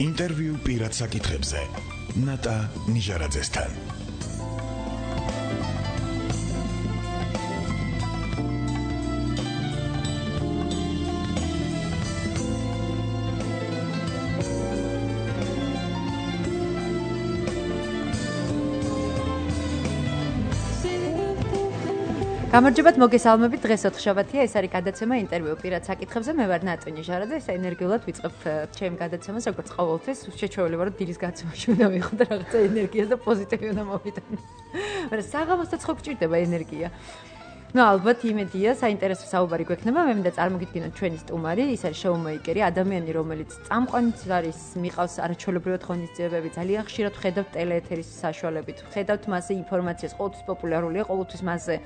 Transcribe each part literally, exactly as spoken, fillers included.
ინტერვიუ პირად საკითხებზე ნატა ნიჟარაძესთან. გამარჯობათ, მოგესალმებით. დღეს ოთხშაბათია, ეს არის გადაცემა ინტერვიუ პირად საკითხებზე. მე ვარ ნატა ნიჟარაძე, ეს ენერგიულად ვიწყებ ჩემ გადაცემას, როგორც ყოველთვის. შეჩვეული ვარ, რომ დილის გადაცემაში უნდა მივხვდე რაღაცა ენერგიას და პოზიტივი უნდა მოვიტანო. მაგრამ საღამოსაც ხო გჭირდება ენერგია. ნუ ალბათ იმედია, საინტერესო საუბარი გვექნება. მე მინდა წარმოგიდგინოთ ჩვენი სტუმარი, ის არის შოუმეიკერი, ადამიანი, რომელიც წამყვანიც არის, მიყავს არაჩვეულებრივად ღონისძიებები, ძალიან ხშირად ხედავთ ტელეეთერის საშუალებით, ხედავთ მასზე ინფორმაციას, ყოველთვის პოპულარულია, ყოველთვის მასზე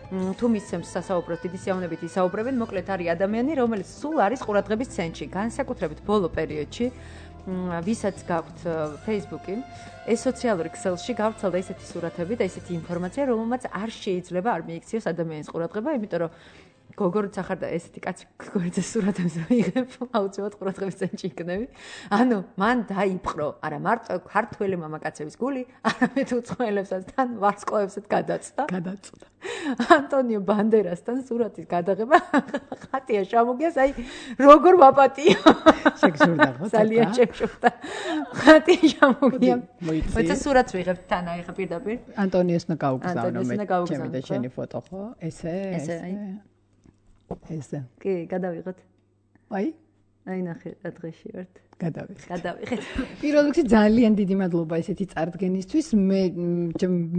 თუ მისცემს სასაუბროს დიდი სიამოვნებით ისაუბრებენ, მოკლედ არის ადამიანი, რომელიც სულ არის ყურადღების ცენტრში, განსაკუთრებით ბოლო პერიოდში, ვისაც გაქვთ Facebook-ი, ეს სოციალური ქსელში გავრცელდა ისეთი სურათები და ისეთი ინფორმაცია, რომელმაც არ შეიძლება არ მიიქციოს ადამიანის ყურადღება, იმიტომ რომ გოგორიც ახარ და ესეთი კაცი გოგორიძე სურათებს მიიღებ, აუცილებლად ყურადღების ცენტრში იქნები. ანუ მან დაიპყრო, არა მარტო ქართველი მამაკაცების გული, არამედ უცხოელებსაც თან ვარსკვლავებსაც გადაწდა. გადაწდა. ანტონიო ბანდერასთან სურათის გადაღება ხატია შემოგიას, აი როგორ ვაპატიო. შეგსურდა ხო? ძალიან შეგსურდა. ხატია შემოგია. მოიცა სურათს ვიღებთ თან, აი ხა პირდაპირ. ანტონიოს ნა გაუგზავნო მე. ჩემი და შენი ფოტო ხო? ესე, ესე. ესე. კი, გადავიღოთ. აი? აი ნახე, რა დღეში ვართ. გადავიღეთ. გადავიღეთ. პირველ რიგში ძალიან დიდი მადლობა ესეთი წარდგენისთვის. მე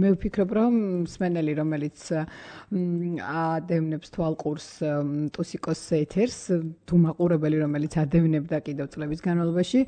მე ვფიქრობ, რომ მსმენელი, რომელიც ადევნებს თვალყურს ტუსიკოს ეთერს, თუ მაყურებელი, რომელიც ადევნებდა კიდევ წლების განმავლობაში,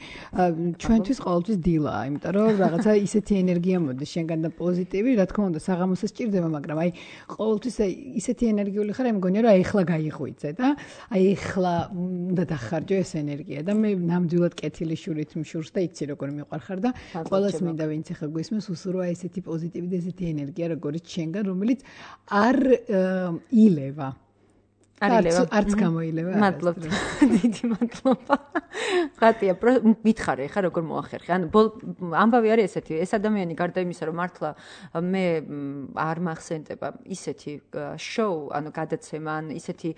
ჩვენთვის ყოველთვის დილაა, იმიტომ რომ რაღაცა ისეთი ენერგია მოდის შენგან და პოზიტივი, რა თქმა უნდა, საღამოსაც სჭირდება, მაგრამ აი ყოველთვის ისეთი ენერგიული ხარ, მე მგონია, რომ ეხლა გაიღვიძე და აი ეხლა უნდა დახარჯო ეს ენერგია და მე ნამდვილად კეთილი შურით მშურს და იცი როგორ მიყვარხარ და ყველას მინდა ვინც ახლა გვისმენს უსურვა ესეთი პოზიტივი და ესეთი ენერგია როგორც შენგან, რომელიც არ ილევა. არილევა. არც გამოილევა. მადლობა. დიდი მადლობა. ხატია, მითხარი ხა როგორ მოახერხე. ანუ ამბავი არის ესეთი, ეს ადამიანი გარდა იმისა, რომ მართლა მე არ მახსენდება ისეთი შოუ, ანუ გადაცემა, ან ისეთი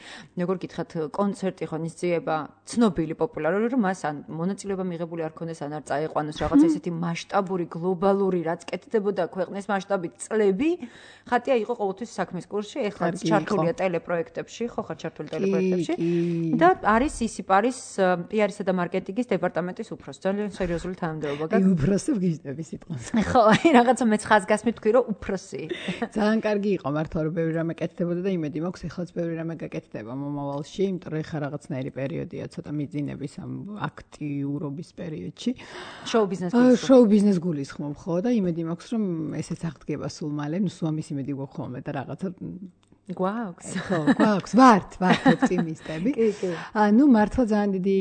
როგორ გითხრათ, კონცერტი ღონისძიება, ცნობილი, პოპულარული, რომ მას ან მონაწილეობა მიღებული არ ქონდეს, ან არ წაიყვანოს რაღაცა ისეთი მასშტაბური, გლობალური, რაც კეთდებოდა ქვეყნის მასშტაბით წლები. ხატია იყო ყოველთვის საქმის კურსში, ეხლა ჩართულია ტელეპროექტებში, ხო ხარ ჩართული ტელეპროექტებში და არის ისიპარის პიარისა და მარკეტინგის დეპარტამენტის უფროსი. ძალიან სერიოზული თანამდებობა გაქვს. აი უფროსი ვგიჟდები სიტყვას. ხო, აი რაღაცა მეც ხაზგასმით თქვი რომ უფროსი. ძალიან კარგი იყო მართლა რომ ბევრი რამე კეთდებოდა და იმედი მაქვს ეხლაც ბევრი რამე გაკეთდება მომავალში, იმიტომ რომ ეხლა რაღაცნაირი პერიოდია ცოტა მიძინების ამ აქტიურობის პერიოდში. შოუ ბიზნეს შოუ ბიზნეს გულისხმობ ხო და იმედი მაქვს რომ ესეც აღდგება სულ მალე, ნუ სულ ამის იმედი გვაქვს ხოლმე და რაღაცა გვაქვს. ხო, გვაქვს, ვართ, ვართ ოპტიმისტები. კი, კი. ანუ მართლა ძალიან დიდი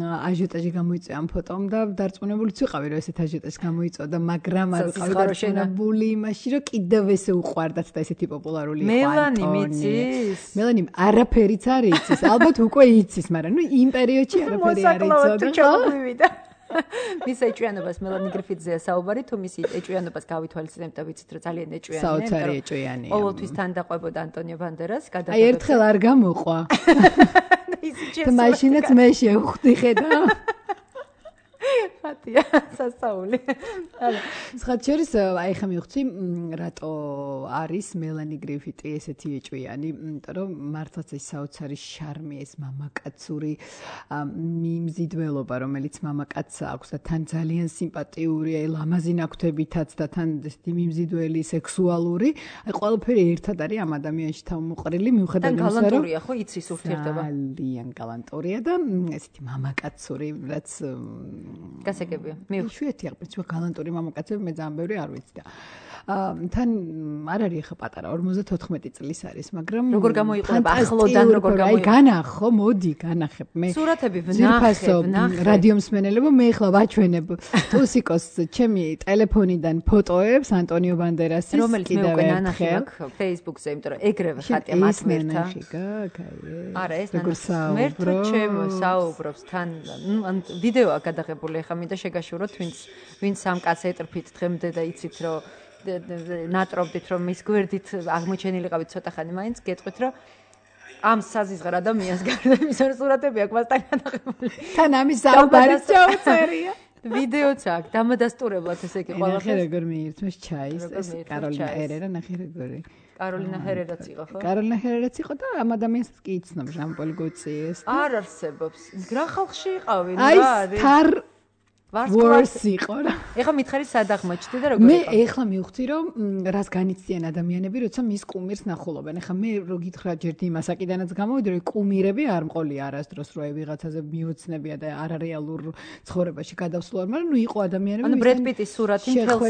აჟიოტაჟი გამოიწვია ამ ფოტომ და დარწმუნებულიც ვიყავი, რომ ესეთ აჟიოტაჟს გამოიწვია, მაგრამ არ ვიყავი დარწმუნებული იმაში, რომ კიდევ ესე უყვარდათ და ესეთი პოპულარული იყო მელანი მიცის. მელანი არაფერიც არ იცის, ალბათ უკვე იცის, მაგრამ ნუ იმ პერიოდში არაფერი არ იცოდა. მის ეჭვიანობას მელანი გრიფიტზეა საუბარი, თუ მის ეჭვიანობას გავითვალისწინებთ და ვიცით, რომ ძალიან ეჭვიანია. საოცარი ეჭვიანია. ყოველთვის თან დაყვებოდა ანტონიო ბანდერას, გადაგებდა. აი ერთხელ არ გამოყვა. და მაშინაც მე შევხვდი ხედა. ხატია სასაული. სხვაჩერის აი ხა მივხვდი რატო არის მელანი გრიფიტი ესეთი ეჭვიანი, იმიტომ რომ მართლაც ეს საოცარი შარმი, ეს მამაკაცური მიმზიდველობა, რომელიც მამაკაცს აქვს და თან ძალიან სიმპათიურია, ლამაზი ნაქვთებითაც და თან ესეთი მიმზიდველი, სექსუალური, აი ყველაფერი ერთად არის ამ ადამიანში თავმოყრილი, მიუხედავად იმისა, რომ გალანტურია ხო, იცის ურთიერთობა. ძალიან გალანტურია და ესეთი მამაკაცური, რაც გასაგებია. მე შვიეთი აღწევ გალანტური მამაკაცები მე ძალიან ბევრი არ ვიცი და თან არ არის ხა პატარა ორმოცდათოთხმეტი წლის არის, მაგრამ როგორ გამოიყურება ახლოდან როგორ აი განახო, მოდი განახებ მე. სურათები ვნახებ, ვნახებ. რადიო მსმენელებო, მე ახლა ვაჩვენებ ტუსიკოს ჩემი ტელეფონიდან ფოტოებს ანტონიო ბანდერასის რომელიც მე უკვე ნანახი აქვს Facebook-ზე, იმიტომ რომ ეგრევე ხატია მათ მერთა. არა, ეს მერთა ჩემო საუბრობს თან ვიდეოა გადაღებული, ახლა მინდა შეგაშუროთ, ვინც ვინც სამ კაცს ეტრფით დღემდე და იცით რომ ნატრობდით რომ მის გვერდით აღმოჩენილიყავით ცოტა ხანი მაინც გეტყვით რომ ამ საზიზღარ ადამიანს გარდა იმის რომ სურათები აქვს მასთან გადაღებული. თან ამის საუბარიც ჩაუწერია. ვიდეოც აქვს დამადასტურებლად ესე იგი ყველაფერს. ნახე როგორ მიირთმეს ჩაის ეს კაროლინა ერერა ნახე როგორი. კაროლინა ჰერერაც იყო ხო? კაროლინა ჰერერაც იყო და ამ ადამიანსაც კი იცნობ ჟან-პოლ გოციეს. არ არსებობს. რა ხალხში იყავი? რა არის? აი თარ ვორს იყო რა. ეხლა მითხარი სად აღმოჩნდი და როგორ მე ეხლა მივხვდი რომ რას განიცდიან ადამიანები, როცა მის კუმირს ნახულობენ. ეხლა მე რო გითხრა ჯერ იმასაკიდანაც გამოვიდი რომ კუმირები არ მყოლია არასდროს რო აი ვიღაცაზე მიოცნებია და არარეალურ ცხოვრებაში გადავსვლარ, მაგრამ ნუ იყო ადამიანები. ანუ ბრედ პიტის სურათი მთელ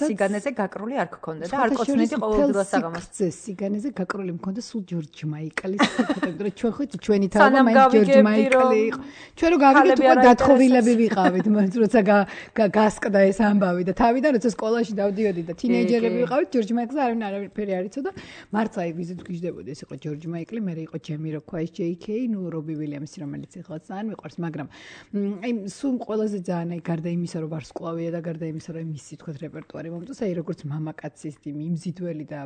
სიგანეზე გაკრული არ გქონდა და არ კოცნედი ყოველდღიურად საღამოს. სიგანეზე გაკრული მქონდა სულ ჯორჯ მაიკლის ფოტოები, რომ ჩვენ ხო ჩვენი თავი მაინც ჯორჯ მაიკლი იყო. ჩვენ რო გავიგეთ უკვე დათხოვილები ვიყავით, მაგრამ გასკდა ეს ამბავი და თავიდან როცა სკოლაში დავდიოდი და თინეიჯერები ვიყავით ჯორჯ მაიკლს არავინ არაფერი არ იცოდა მარცხა ვიზით გიждდებოდი ეს იყო ჯორჯ მაიკლი მე იყო ჯემი როქვაის ჯეი კეი ნუ რობი ვილიამსი რომელიც ეხლა ძალიან მიყვარს მაგრამ აი სულ ყველაზე ძალიან აი გარდა იმისა რომ ვარსკვლავია და გარდა იმისა რომ მისი თქვა რეპერტუარი მომწონს აი როგორც მამაკაცის მიმზიდველი და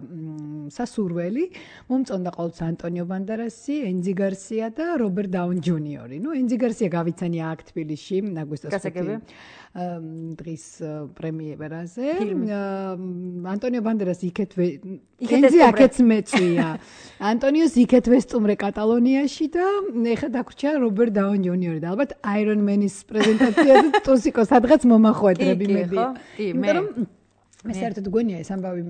სასურველი მომწონდა ყოველთვის ანტონიო ბანდერასი ენძი გარსია და რობერტ დაუნი ჯუნიორი ნუ ენძი გარსია გავიცანია აქ თბილისში აგვისტოს დღის პრემიერაზე ანტონიო ბანდერას იქეთ ენძი აქეც მეწვია ანტონიოს იქეთ ვესტუმრე კატალონიაში და ეხლა დაგვრჩა რობერტ დაუნი ჯუნიორი და ალბათ აირონ მენის პრეზენტაციაზე ტუსიკო სადღაც მომახვედრები მედი იმიტომ რომ მე საერთოდ გონია ეს ამბავი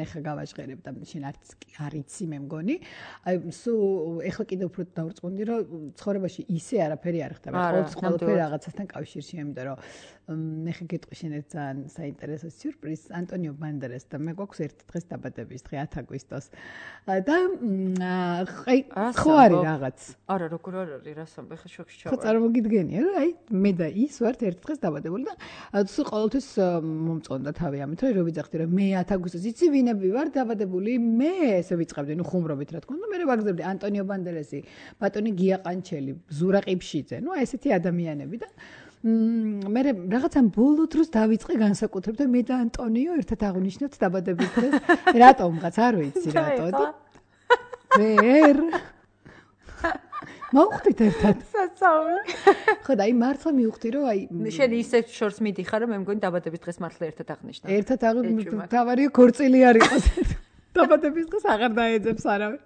ეხლა გავაჟღერებ და შენ არც არ იცი მე მგონი აი სულ ეხლა კიდევ უფრო დავრწმუნდი რომ ცხოვრებაში ისე არაფერი არ ხდება ყოველთვის ყველაფერი რაღაცასთან კავშირში იმიტომ რომ ეხლა გეტყვი შენ ერთ ძალიან საინტერესო სიურპრიზს ანტონიო ბანდერას და მე გვაქვს ერთი დღეს დაბადების დღე ათი აგვისტოს და აი ხო არის რაღაც არა როგორ არ არის რა სამბე ხა შოქში ჩავა ხო წარმოგიდგენია რომ აი მე და ის ვართ ერთ დღეს დაბადებული და სულ ყოველთვის მომწონდა თავი ამით რომ ვიძახდი რომ მე ათი აგვისტოს იცი ვინები ვარ დაბადებული მე ესე ვიწყებდი ნუ ხუმრობით რა თქმა უნდა მე ვაგზავნებდი ანტონიო ბანდერასი ბატონი გია ყანჩელი ზურა ყიფშიძე ნუ ესეთი ადამიანები და მე რაღაცა ბოლო დროს დავიწყე განსაკუთრებით და მე და ანტონიო ერთად აღნიშნოთ დაბადების დღეს რატომღაც არ ვიცი რატო და ვერ მოვხვდით ერთად სასწაული ხო და აი მართლა მივხვდი რომ აი შენ ისე შორს მიდიხარ რომ მე მგონი დაბადების დღეს მართლა ერთად აღნიშნავ ერთად აღნიშნავ თავარია ქორწილი არ იყოს დაბადების დღეს აღარ დაეძებს არავინ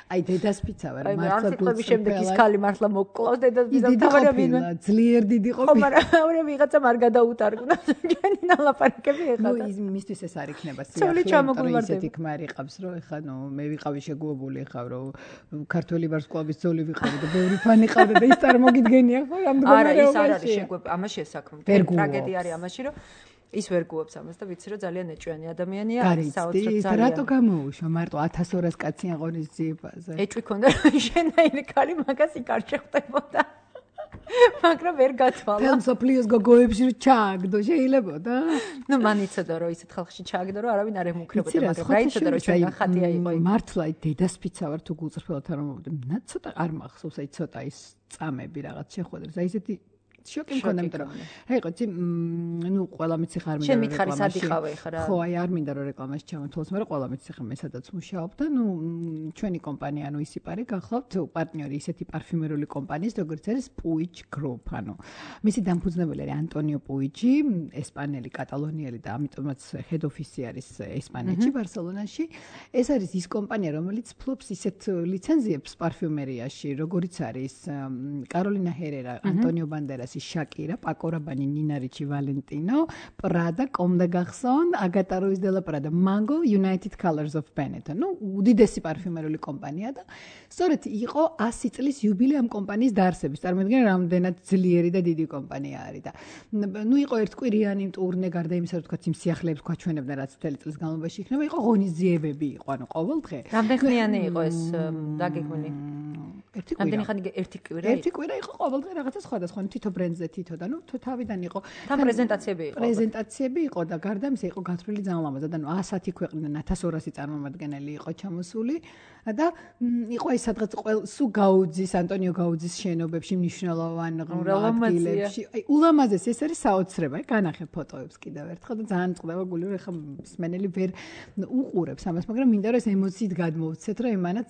აი დედასპიცა ვარ მართლა გულწრფელი შემდეგ ის ქალი მართლა მოკლავს დედასპიცა თავარია ვინმე ძლიერ დიდი ყოფილი ხო მაგრამ არა ვიღაცა არ გადაუტარგნა ჯენი ნალაპარაკები ეხლა ნუ ის მისთვის ეს არ იქნება სიახლე ისეთი ქმარი ყავს რომ ეხლა ნუ მე ვიყავი შეგუებული ხავ რომ ქართველი ვარსკვლავის ძოლი ვიყავი და ბევრი ფანი ყავდა და ის წარმოგიდგენია ხო ამ არა ის არ არის შეგუება ამაში ესაქმე ტრაგედია არის ამაში რომ ის ვერ გუობს ამას და ვიცი რომ ძალიან ეჭვიანი ადამიანია არის საოცრად ძალიან რატო გამოუშვა მარტო ათას ორას კაცი აღონისძიებაზე ეჭვი ქონდა შენაირი ქალი მაგას იქ არ შეხვდებოდა მაგრამ ვერ გათვალა ფელსოფლიოს გოგოებში რომ ჩააგდო შეიძლებოდა ნუ მან იცოდა რომ ისეთ ხალხში ჩააგდო რომ არავინ არ ემუქრებოდა მაგრამ რა იცოდა რომ ჩვენ ხატია იყო მართლა დედასპიცა ვარ თუ გულწრფელად არ მომოვიდი მე ცოტა არ მახსოვს აი ცოტა ის წამები რაღაც შეხვედრას აი ესეთი შოკი მქონდა იმიტომ რომ აი ყოთი ნუ ყველა მიცი ხარ მინდა შენ მითხარი სად იყავე ხა რა ხო აი არ მინდა რომ რეკლამაში ჩამოთვალოს მაგრამ ყველა მიცი ხარ მე სადაც მუშაობ და ნუ ჩვენი კომპანია ანუ ისიპარი გახლავთ პარტნიორი ისეთი პარფიუმერული კომპანიის როგორც არის Puig Group ანუ მისი დამფუძნებელი არის ანტონიო პუიჯი ესპანელი კატალონიელი და ამიტომაც head office არის ესპანეთში ბარსელონაში ეს არის ის კომპანია რომელიც ფლობს ისეთ ლიცენზიებს პარფიუმერიაში როგორიც არის კაროლინა ჰერერა ანტონიო ბანდერასი როსი, შაკირა, პაკო რაბანი, ნინა რიჩი, ვალენტინო, პრადა, კომ დე გარსონ, აგატა რუის დე ლა პრადა, მანგო, United Colors of Benetton. ნუ უდიდესი პარფიუმერული კომპანია და სწორედ იყო ასი წლის იუბილე ამ კომპანიის დაარსების. წარმოიდგინე, რამდენად ძლიერი და დიდი კომპანია არის და ნუ იყო ერთკვირიანი ტურნე, გარდა იმისა, რომ თქვა იმ სიახლეებს გვაჩვენებდნენ, რაც მთელი წლის განმავლობაში იქნება, იყო ღონისძიებები, იყო, ანუ ყოველ დღე. რამდენი ხნიანი იყო ეს დაგეგმილი? ერთი კვირა. რამდენი ხანი ერთი კვირა? ერთი კვირა იყო ყოველ დღე რაღაცა სხვადასხვა, თითო ბრენდზე თითო და ნუ თავიდან იყო. თან პრეზენტაციები იყო. პრეზენტაციები იყო და გარდა ამისა იყო გათვლილი ძალიან ლამაზად, ანუ ასათი ქვეყნიდან ათას ორასი წარმომადგენელი იყო ჩამოსული და იყო ის სადღაც სუ გაუძის, ანტონიო გაუძის შენობებში მნიშვნელოვან ადგილებში. აი ულამაზესი ეს არის საოცრება, აი განახე ფოტოებს კიდევ ერთხელ და ძალიან წყდება გული, რომ ეხლა მსმენელი ვერ უყურებს ამას, მაგრამ მინდა რომ ეს ემოციით გადმოვცეთ, რომ იმანაც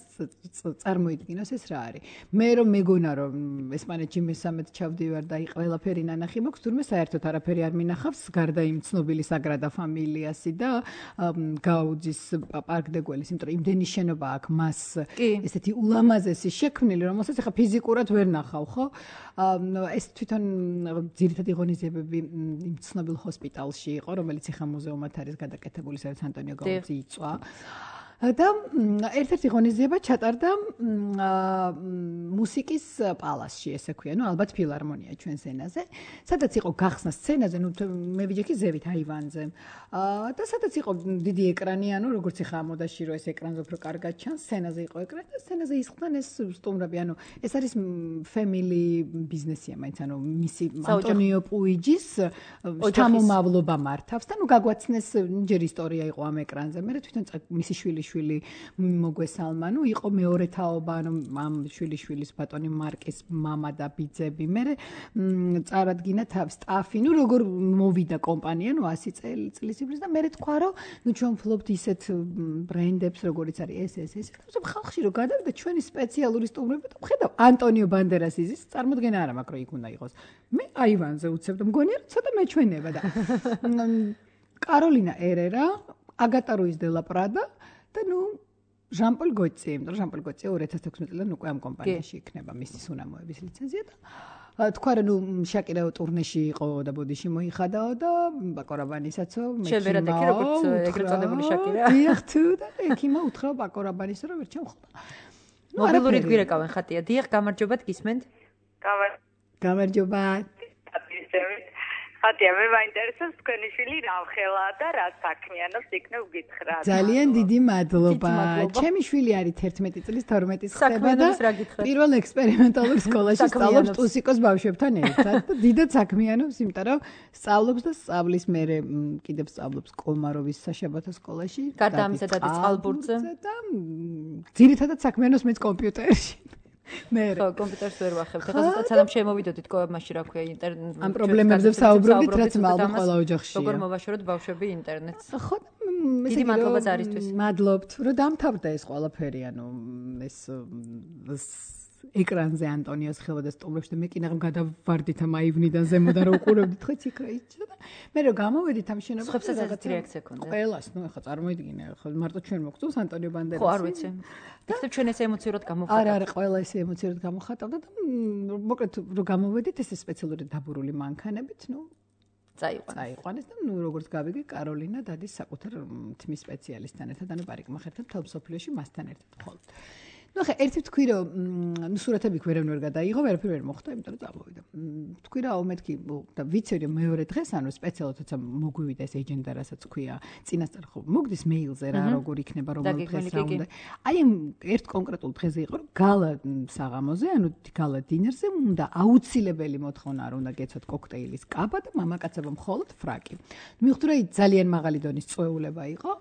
წარმოიდგინოს ეს რა არის. მე რომ მეგონა რომ ესპანეთში მესამედ ჩავდივარ და აი ყველაფერი ნანახი მაქვს, თურმე საერთოდ არაფერი არ მინახავს, გარდა იმ ცნობილი საგრადა ფამილიასი და გაუძის პარკ დე გუელის, იმიტომ რომ იმდენი შენობა აქვს მას ესეთი ულამაზესი შექმნილი, რომელსაც ახლა ფიზიკურად ვერ ნახავ, ხო? ეს თვითონ ძირითადი ღონისძიებები იმ ცნობილ ჰოსპიტალში იყო, რომელიც ახლა მუზეუმად არის გადაკეთებული, სადაც ანტონიო გაუძი იწვა. და ერთ-ერთი ღონისძიება ჩატარდა მუსიკის პალასში, ესე ქვია, ნუ ალბათ ფილარმონია ჩვენს ენაზე, სადაც იყო გახსნა სცენაზე, ნუ მე ვიჯექი ზევით აივანზე. და სადაც იყო დიდი ეკრანი, ანუ როგორც ეხა მოდაში რო ეს ეკრანზე უფრო კარგად ჩანს, სცენაზე იყო ეკრანი და სცენაზე ისხდნენ ეს სტუმრები, ანუ ეს არის family ბიზნესია, მაინც ანუ მისი ანტონიო პუიჯის შთამომავლობა მართავს და ნუ გაგვაცნეს ჯერ ისტორია იყო ამ ეკრანზე, მე თვითონ მისი შვილი შვილი მოგვესალმა, ნუ იყო მეორე თაობა, ანუ ამ შვილიშვილის ბატონი მარკის მამა და ბიძები. მე წარადგინა თავ სტაფი, ნუ როგორ მოვიდა კომპანია, ნუ ასი წლის იბრის და მე თქვა, რომ ნუ ჩვენ ვფლობთ ისეთ ბრენდებს, როგორიც არის ეს ეს ეს. და ხალხში რო გადავიდა ჩვენი სპეციალური სტუმრები და ვხედავ ანტონიო ბანდერას იზის, წარმოდგენა არა მაქვს, რომ იქ უნდა იყოს. მე აივანზე უცებ და მგონია, რომ ცოტა მეჩვენება და კაროლინა ერერა, აგატა რუის დე ლა პრადა და ნუ ჟან-პოლ გოცი, იმიტომ რომ ჟან-პოლ გოცი ორი ათას თექვსმეტ წლიდან უკვე ამ კომპანიაში იქნება მისი სუნამოების ლიცენზია და თქვა რომ ნუ შაკირა ტურნეში იყო და ბოდიში მოიხადაო და პაკო რაბანისაცო მე შევერადექი როგორც ეგრეთ წოდებული შაკირა. დიახ თუ და ექიმა უთხრა პაკო რაბანის რომ ვერ ჩამხდა. მობილური გვირეკავენ ხატია. დიახ, გამარჯობათ, გისმენთ? გამარჯობა. ხატია, მე მაინტერესებს თქვენი შვილი რა ხელაა და რა საქმიანობს, იქნებ გითხრათ. ძალიან დიდი მადლობა. ჩემი შვილი არის თერთმეტი წლის თორმეტის ხდება და პირველ ექსპერიმენტალურ სკოლაში სწავლობს ტუსიკოს ბავშვებთან ერთად და დიდად საქმიანობს, იმიტომ რომ სწავლობს და სწავლის მერე კიდევ სწავლობს კოლმაროვის საშაბათო სკოლაში. გარდა ამისა და წყალბურთზე და ძირითადად საქმიანობს მეც კომპიუტერში. მე ხო, კომპიუტერს ვერ ვახებთ. ეხლა სანამ შემოვიდოდით კოებმაში, რა ქვია, ინტერნეტ ამ პრობლემებზე ვსაუბრობთ, რაც მალმა ყველა ოჯახშია. როგორ მოვაშოროთ ბავშვები ინტერნეტს? ხო, დიდი მადლობა ზარისთვის. მადლობთ, რომ დამთავრდა ეს ყველაფერი, ანუ ეს ეკრანზე ანტონიოს ხელვა და სტუმრებს და მე კი ნახე გადავარდით ამ აივნიდან ზემოდან რომ უყურებდით ხო ციქრა იჭდა და მე რომ გამოვედით ამ შენობაზე ხებსაც ეს რეაქცია ქონდა. ყველას, ნუ ეხლა წარმოიდგინე, ხო მარტო ჩვენ მოგწონს ანტონიო ბანდერასი. ხო, არ ვიცი. ეხლა ჩვენ ეს ემოციურად გამოვხატავთ. არა, არა, ყველა ეს ემოციურად გამოვხატავდა და მოკლედ რომ გამოვედით ეს სპეციალური დაბურული მანქანებით, ნუ წაიყვანეს. წაიყვანეს და ნუ როგორც გავიგე, კაროლინა დადის საკუთარ თმის სპეციალისტთან ერთად, ანუ პარიკმახერთან თელ სოფლიოში მასთან ერთად ხოლმე. ნუ ხა ერთი თქვი რომ ნუ სურათები ვერანვერ გადაიღო, ვერაფერ ვერ მოხდა, იმიტომ რომ წამოვიდა. თქვი რა მეთქი და ვიცი რომ მეორე დღეს ანუ სპეციალურად თოცა მოგვივიდა ეს ეჯენდა, რასაც ქვია, წინასწარ ხო მოგდის მეილზე რა როგორ იქნება რომელ დღეს რა უნდა. აი ერთ კონკრეტულ დღეზე იყო რომ გალა საღამოზე, ანუ გალა დინერზე უნდა აუცილებელი მოთხოვნა არ უნდა გეცოთ კოქტეილის კაბა და მამაკაცებო მხოლოდ ფრაკი. მივხვდი რომ ძალიან მაღალი დონის წვეულება იყო.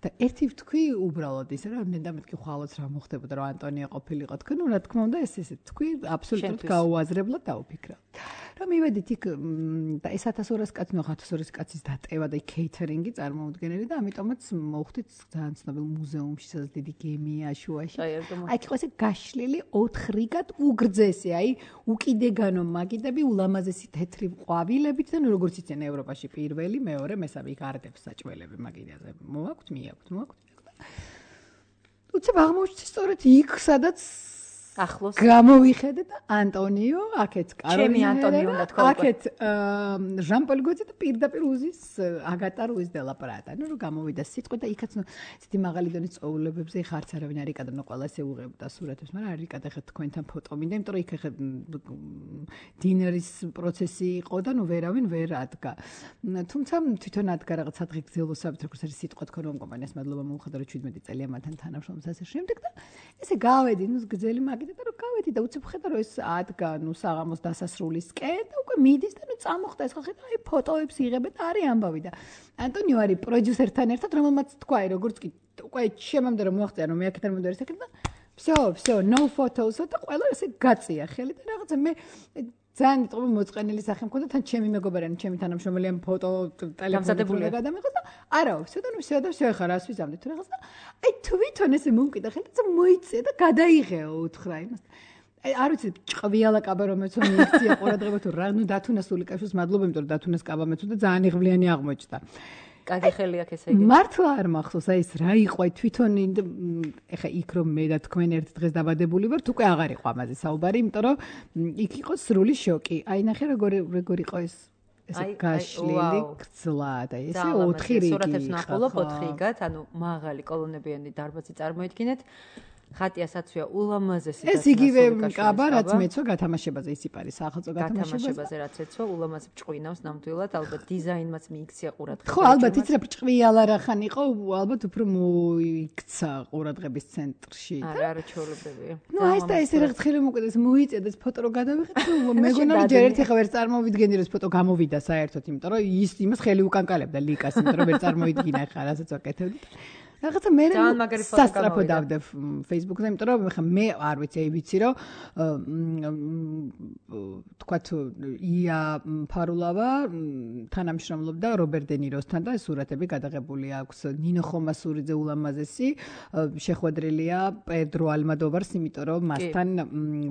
და ერთი ვთქვი უბრალოდ ისე რომ ნენდა მეთქი ხვალოც რა მოხდებოდა რომ ანტონიო ყოფილიყო თქვენ ნუ რა თქმა უნდა ეს ესე თქვი აბსოლუტურად გაუაზრებლად დაუფიქრა რომ მივედით იქ და ეს ათას ორასი კაცი ნუ ათას ორასი კაცის დატევა და კეითერინგი წარმოუდგენელი და ამიტომაც მოვხდით ძალიან ცნობილ მუზეუმში სადაც დიდი გემია შუაში აი იყო ესე გაშლილი ოთხ რიგად უგრძესი აი უკიდეგანო მაგიდები ულამაზესი თეთრი ყვავილებით და ნუ როგორც იციან ევროპაში პირველი მეორე მესამე იქ არდებს საჭველები მაგიდაზე მოაქვთ მე მოაქვთ მოაქვთ უცებ აღმოჩნდა სწორედ იქ სადაც ახლოს გამოვიხედე და ანტონიო, აქეთ კაროლინა. ჩემი ანტონიო უნდა თქვა. აქეთ ჟან-პოლ გოძე და პირდაპირ უზის აგატა რუის დე ლა პრატა. ნუ რომ გამოვიდა სიტყვი და იქაც ნუ ისეთი მაღალი დონის წოულებებზე ხა არც არავინ არ იკადა, ნუ ყველა ესე უღებდა სურათებს, მაგრამ არ იკადა ხა თქვენთან ფოტო მინდა, იმიტომ რომ იქ ხა დინერის პროცესი იყო და ნუ ვერავინ ვერ ადგა. თუმცა თვითონ ადგა რაღაც ადღი გზელოსავით, როგორც არის სიტყვა თქვენ რომ კომპანიას მადლობა მოუხდა რომ შვიდმეტი წელია მათთან თანამშრომლობს ასე შემდეგ და ესე გავედი, ნუ გზელი მაგიდა და რომ გავედი და უცებ ხედა რომ ეს ადგა, ნუ საღამოს დასასრულისკენ და უკვე მიდის და ნუ წამოხდა ეს ხალხი და აი ფოტოებს იღებენ და არის ამბავი და ანტონიო არის პროდიუსერთან ერთად, რომელმაც თქვა, როგორც კი უკვე შემამდე რომ მოახწია რომ მე აქედან მომდერის ეკეთ და всё, всё, no photos და ყველა ესე გაწია ხელი და რაღაცა მე ძალიან იტყობა მოწყენილი სახე მქონდა თან ჩემი მეგობარანი, ჩემი თანამშრომელი ფოტო ტელეფონზე გადამიღოს და არაო, всё და ნუ всё და всё ხა რას ვიზამდი თუ რაღაც და აი თვითონ ესე მომკიდა ხელი და მოიწია და გადაიღეო უთხრა იმას. აი არ ვიცი ჭყვიალა კაბა რომელიც მიიქცია ყურადღება თუ რა ნუ დათუნა სულიკაშვილს მადლობა იმიტომ რომ დათუნას კაბა მეცო და ძალიან იღბლიანი აღმოჩნდა. კარგი ხელი აქ ესე იგი. მართლა არ მახსოვს აი ეს რა იყო აი თვითონ ეხა იქ რომ მე და თქვენ ერთ დღეს დაბადებული ვართ უკვე აღარ იყო ამაზე საუბარი, იმიტომ რომ იქ იყო სრული შოკი. აი ნახე როგორ როგორ იყო ეს ესე გაშლილი გზლა და ესე ოთხი რიგი. სურათებს ნახულობ ოთხი რიგად, ანუ მაღალი კოლონებიანი დარბაზი წარმოიდგინეთ. ხატიასაცვია ულამაზესი ეს იგივე კაბა რაც მეცო გათამაშებაზე ისიპარის სახელმწიფო გათამაშებაზე რაც ეცვა ულამაზ ჭყვინავს ნამდვილად ალბათ დიზაინმაც მიიქცია ყურადღება ხო ალბათ იცი რა ჭყვიალა რახან იყო ალბათ უფრო მოიქცა ყურადღების ცენტრში არა არა ჩაოლებებია ნუ აი ეს და ესე რაღაც ხელი მოკვდეს მოიწია და ეს ფოტო რო გადავიღეთ მეგონა რომ ჯერ ერთი ხა ვერ წარმოვიდგენდი რომ ეს ფოტო გამოვიდა საერთოდ იმიტომ რომ ის იმას ხელი უკანკალებდა ლიკას იმიტომ რომ ვერ წარმოვიდგინა ხა რასაც ვაკეთებდი რაღაცა მე სასტრაფო დავდე Facebook-ზე, იმიტომ რომ ხა მე არ ვიცი, აი ვიცი რომ თქვათ ია ფარულავა თანამშრომლობდა რობერტ დე ნიროსთან და სურათები გადაღებული აქვს ნინო ხომასურიძე ულამაზესი შეხვედრილია პედრო ალმადოვარს, იმიტომ რომ მასთან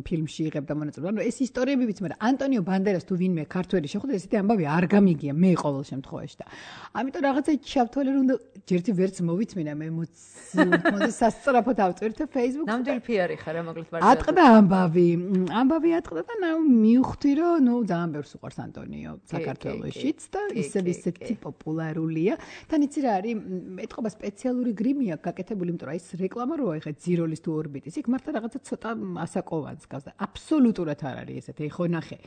ფილმში იღებდა მონაწილეობა. ანუ ეს ისტორიები ვიცი, მაგრამ ანტონიო ბანდერას თუ ვინმე ქართველი შეხვდა, ესეთი ამბავი არ გამიგია მე ყოველ შემთხვევაში და ამიტომ რაღაცა ჩავთვალე რომ ჯერთი ვერც მოვიწმინა მე მოძი სასწრაფოდ ავწვირთე Facebook-ზე. ნამდვილი პიარი ხარ, მოკლედ ვარ. ატყდა ამბავი. ამბავი ატყდა და ნუ მივხვდი რომ ნუ ძალიან ბევრს უყვარს ანტონიო საქართველოშიც და ისევ ისეთი პოპულარულია. თან იცი რა არის, ეტყობა სპეციალური გრიმი აქვს გაკეთებული, იმიტომ რომ ეს რეკლამა როა ეხა ძიროლის თუ ორბიტის. იქ მართლა რაღაცა ცოტა ასაკოვანს გავს და აბსოლუტურად არ არის ესეთი. ეხო ნახე.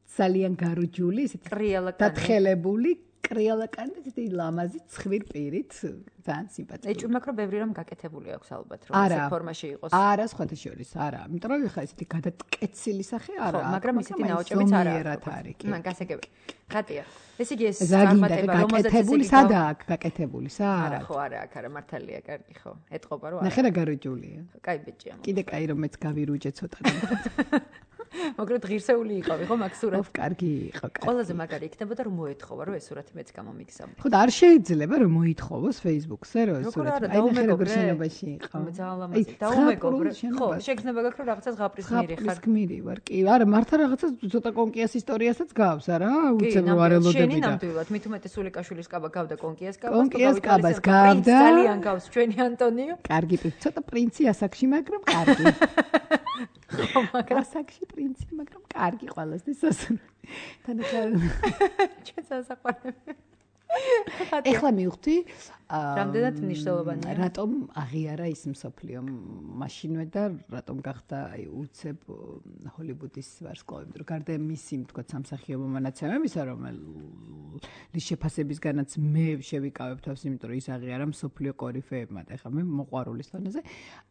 ძალიან გარუჯული, ესეთი დათხელებული კრიალაკანი ესეთი ლამაზი ცხვիր პირით ძალიან სიმპათიური. ეჭვი მაქვს რომ ბევრი რამ გაკეთებული აქვს ალბათ რომ ეს ფორმაში იყოს. არა, სხვათა შორის არა. იმიტომ რომ ეხა ესეთი გადატკეცილი სახე არა. ხო, მაგრამ ისეთი ნაოჭებიც არა არის. მან გასაგები. ხატია. ეს იგი ეს წარმატება რომელზეც გაკეთებული სადაა გაკეთებული სა? არა, ხო, არა, აქ არა, მართალია, კარგი ხო. ეტყობა რომ არა. ნახე რა გარუჯულია. კაი ბიჭია. კიდე კაი რომ მეც გავირუჯე ცოტა. მაგრამ ღირსეული იყავი ხო მაგ სურათს? კარგი იყო, კარგი. ყველაზე მაგარი იქნებოდა რომ მოეთხოვა რომ ეს სურათი მეც გამომიგზავნა. ხო და არ შეიძლება რომ მოითხოვოს Facebook-ზე რომ ეს სურათი აი ნახე როგორ შენობაში იყო. ძალიან ლამაზი. დაუმეგობრე. ხო, შეგრძნება გაქვს რომ რაღაცას ღაპრის გმირი ხარ. ღაპრის გმირი ვარ. კი, არა, მართლა რაღაცა ცოტა კონკიას ისტორიასაც გავს, არა? უცებ რო არ ელოდები და. შენი ნამდვილად, მით უმეტეს სულიკაშვილის კაბა გავდა კონკიას კაბას, კონკიას კაბას გავდა. ძალიან გავს ჩვენი ანტონიო. კარგი პირ, ცოტა პრინცი ასაკში, მაგრამ კარგი. ხო, მაგრამ ასაკში პრინცი, მაგრამ კარგი ყველასთვის სასურველი. თანახარ ჩვენ სასაყვარლები. ეხლა მივხვდი რამდენად მნიშვნელოვანია რატომ აღიარა ის მსოფლიო მაშინვე და რატომ გახდა აი უცებ ჰოლივუდის ვარსკვლავი, იმიტომ რომ გარდა მისი თქვა სამსახიობო მონაცემებისა, რომელიც შეფასებისგანაც მე შევიკავებ თავს, იმიტომ რომ ის აღიარა მსოფლიო კორიფეებმა და ეხლა მე მოყვარულის დონეზე,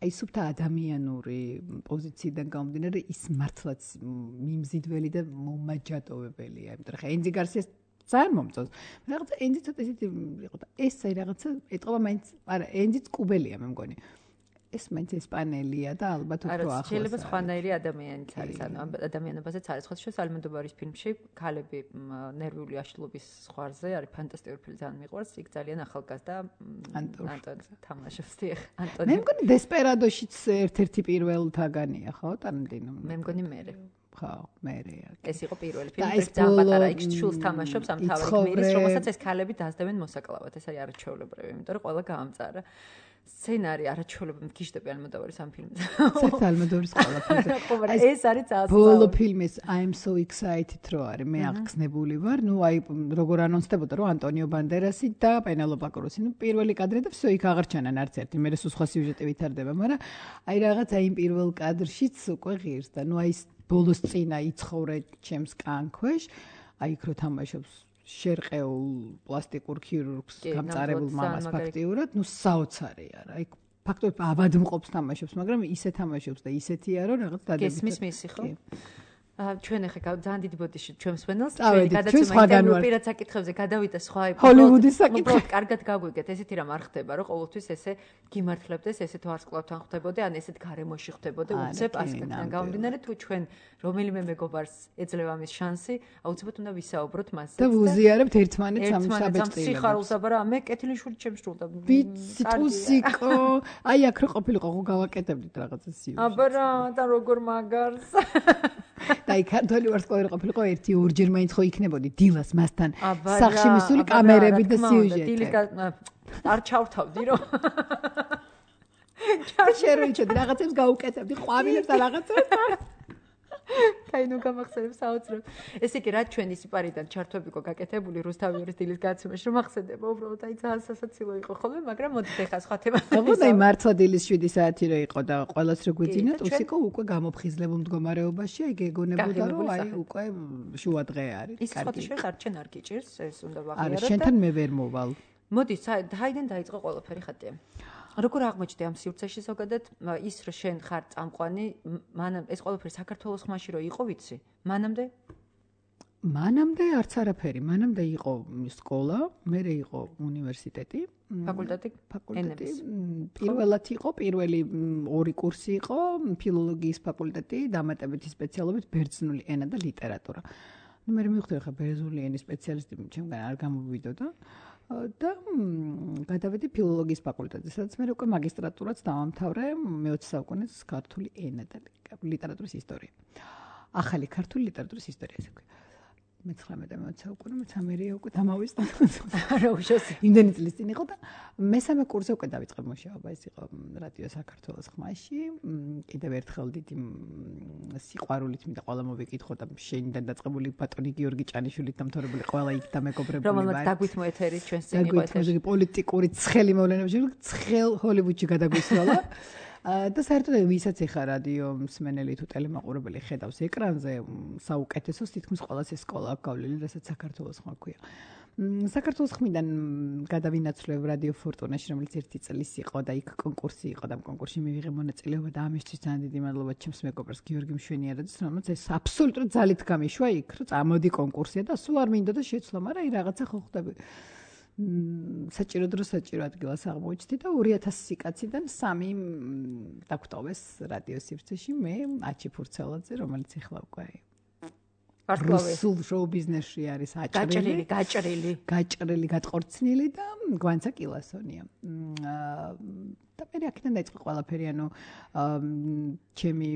აი სუფთა ადამიანური პოზიციიდან გამომდინარე ის მართლაც მიმზიდველი და მომაჯადოვებელია, იმიტომ რომ ხა ენდი გარსიას ძალიან მომწონს. რაღაცა ენდი ცოტა ისეთი იყო და ეს აი რაღაცა ეტყობა მაინც, არა, ენდიც კუბელია მე მგონი. ეს მაინც ესპანელია და ალბათ უფრო ახლოს. არა, შეიძლება სხვანაირი ადამიანიც არის, ანუ ადამიანებაზეც არის. ხო, შენ ალმოდოვარის ფილმში ქალები ნერვიული აშლობის ზღვარზე არის ფანტასტიკური ფილმი, ძალიან მიყვარს. იქ ძალიან ახალგაზრდა ანტონ თამაშობს დიახ. ანტონი. მე მგონი დესპერადოშიც ერთ-ერთი პირველთაგანია, ხო, ტარანტინო. მე მგონი მერე. ხო, მერეა. ეს იყო პირველი ფილმი, ძალიან პატარა იქ შულს თამაშობს ამ თავი გმირის, რომელსაც ეს ქალები დაძდევენ მოსაკლავად. ეს არის არაჩვეულებრივი, იმიტომ რომ ყველა გაამწარა. სცენარი არაჩვეულებრივ მგიშდები ალმოდოვარის ამ ფილმზე. საერთოდ ალმოდოვარის ყველაფერზე. ხო, მაგრამ ეს არის ძალიან ბოლო ფილმის I'm so excited რო არის, მე აღგზნებული ვარ. ნუ აი როგორ ანონსდებოდა რომ ანტონიო ბანდერასი და პენელოპა კრუსი. ნუ პირველი კადრი და всё იქ აღარჩენან არც ერთი. მე რესო სხვა სიუჟეტი ვითარდება, მაგრამ აი რაღაც აი იმ პირველ კადრშიც უკვე ღირს და ნუ აი ბოლოს წინა იცხოვრე ჩემს კანქვეშ, აი იქ რო თამაშობს შერყეულ პლასტიკურ ქირურგს გამწარებულ მამას ფაქტიურად, ნუ საოცარი არა. აი ფაქტობრივად აბადმყოფს თამაშობს, მაგრამ ისე თამაშობს და ისეთია რომ რაღაც დადებითი. გესმის მისი ხო? ჩვენ ახლა ძალიან დიდი ბოდიში ჩვენ მსვენელს ჩვენი გადაცემა ინტერვიუ პირად საკითხებზე გადავიდა სხვა ჰოლივუდის საკითხი. უბრალოდ კარგად გაგვიგეთ, ესეთი რამ არ ხდება, რომ ყოველთვის ესე გიმართლებდეს, ესე თუ ვარსკვლავთან ხვდებოდე, ან ესეთ გარემოში ხვდებოდე, უცებ ასკეთიდან გამომდინარე, თუ ჩვენ რომელიმე მეგობარს ეძლევა ამის შანსი, აუცილებლად უნდა ვისაუბროთ მასზე. და ვუზიარებთ ერთმანეთს ამ საბეჭდილებას. სიხარულს აბარა მე კეთილი შვილი ჩემს სრულდა. ვიცი ტუსიკო, აი აქ რო ყოფილიყო, ხო გავაკეთებდით რაღაცა სიუჟეტი. აბარა და როგორ მაგარს. და აი ქართული ვარსკვლავი ყოფილიყო ერთი ორჯერ მაინც ხო იქნებოდი დილას მასთან სახში მისული კამერები და სიუჟეტი. დილის არ ჩავთავდი რომ ჩარშეროიჩოდი რაღაცებს გაუკეთებდი ყვავილებს და რაღაცებს. კაი ნუ გამახსენებ საოცრად. ესე იგი რა ჩვენი სიპარიდან ჩართვები ყო გაკეთებული რუსთავიორის დილის გადაცემაში რომ ახსენდება უბრალოდ აი ძალიან სასაცილო იყო ხოლმე, მაგრამ მოდით ახლა სხვა თემაზე. ხო და აი მართლა დილის შვიდი საათი რო იყო და ყველას რო გვიძინათ, უსიკო უკვე გამოფხიზლებულ მდგომარეობაში აი გეგონებოდა რომ აი უკვე შუა დღე არის. ის სხვა შეეხ არჩენ არ გიჭირს, ეს უნდა ვაღიაროთ. არა, შენთან მე ვერ მოვალ. მოდი, საიდან დაიწყო ყველაფერი ხატია. როგორ აღმოჩნდა ამ სივრცეში ზოგადად ის რომ შენ ხარ წამყვანი, მანამ ეს ყველაფერი საქართველოს ხმაში რო იყო, ვიცი? მანამდე? მანამდე არც არაფერი, მანამდე იყო სკოლა, მერე იყო უნივერსიტეტი, ფაკულტეტი, ფაკულტეტი. პირველად იყო, პირველი ორი კურსი იყო, ფილოლოგიის ფაკულტეტი, დამატებითი სპეციალობით ბერძნული ენა და ლიტერატურა. ნუ მე მივხვდი ხა ბერძნული ენის სპეციალისტი ჩემგან არ გამოვიდოდა. და გადავედი ფილოლოგიის ფაკულტეტზე, სადაც მე უკვე მაგისტრატურაც დავამთავრე მეოცე საუკუნის ქართული ენა და ლიტერატურის ისტორია. ახალი ქართული ლიტერატურის ისტორია ესე ვქვი. მეცხრამეტე და მეოცე საუკუნე, მეცამერია უკვე დამავისდა. არა უშავს. იმდენი წლის წინ იყო და მესამე კურსზე უკვე დავიწყე მუშაობა, ეს იყო რადიო საქართველოს ხმაში. კიდევ ერთხელ დიდი სიყვარულით მინდა ყველა მოვიკითხო და შენიდან დაწყებული ბატონი გიორგი ჭანიშვილით დამთავრებული ყველა იქ და მეგობრებული ვარ. რომელმაც დაგვითმო ეთერი ჩვენს წინ იყო ეთერი. პოლიტიკური ცხელი მოვლენებში ცხელ ჰოლივუდში გადაგვისროლა. და საერთოდ ვისაც ეხა რადიო მსმენელი თუ ტელემაყურებელი ხედავს ეკრანზე, საუკეთესოს თითქმის ყველას ეს სკოლა აქვს გავლილი, რასაც საქართველოს ხმა ქვია. საქართველოს ხმიდან გადავინაცვლებ რადიო ფორტუნაში, რომელიც ერთი წლის იყო და იქ კონკურსი იყო და ამ კონკურსში მივიღე მონაწილეობა და ამისთვის ძალიან დიდი მადლობა ჩემს მეგობრს გიორგი მშვენიარაძეს, რომელიც ეს აბსოლუტურად ძალით გამიშვა იქ, რომ წამოდი კონკურსია და სულ არ მინდოდა შეცვლა, მაგრამ აი რაღაცა ხო ხდები. საჭირო დრო საჭირო ადგილას აღმოჩნდი და ორი ათასი კაციდან სამი დაგვტოვეს რადიო სივრცეში, მე აჩი ფურცელაძე, რომელიც ახლა უკვე რუსულ შოუ ბიზნესში არის აჭრილი, გაჭრილი, გაჭრილი, გატყორცნილი და გვანცა კილასონია. და მე აქედან დაიწყო ყველაფერი, ანუ ჩემი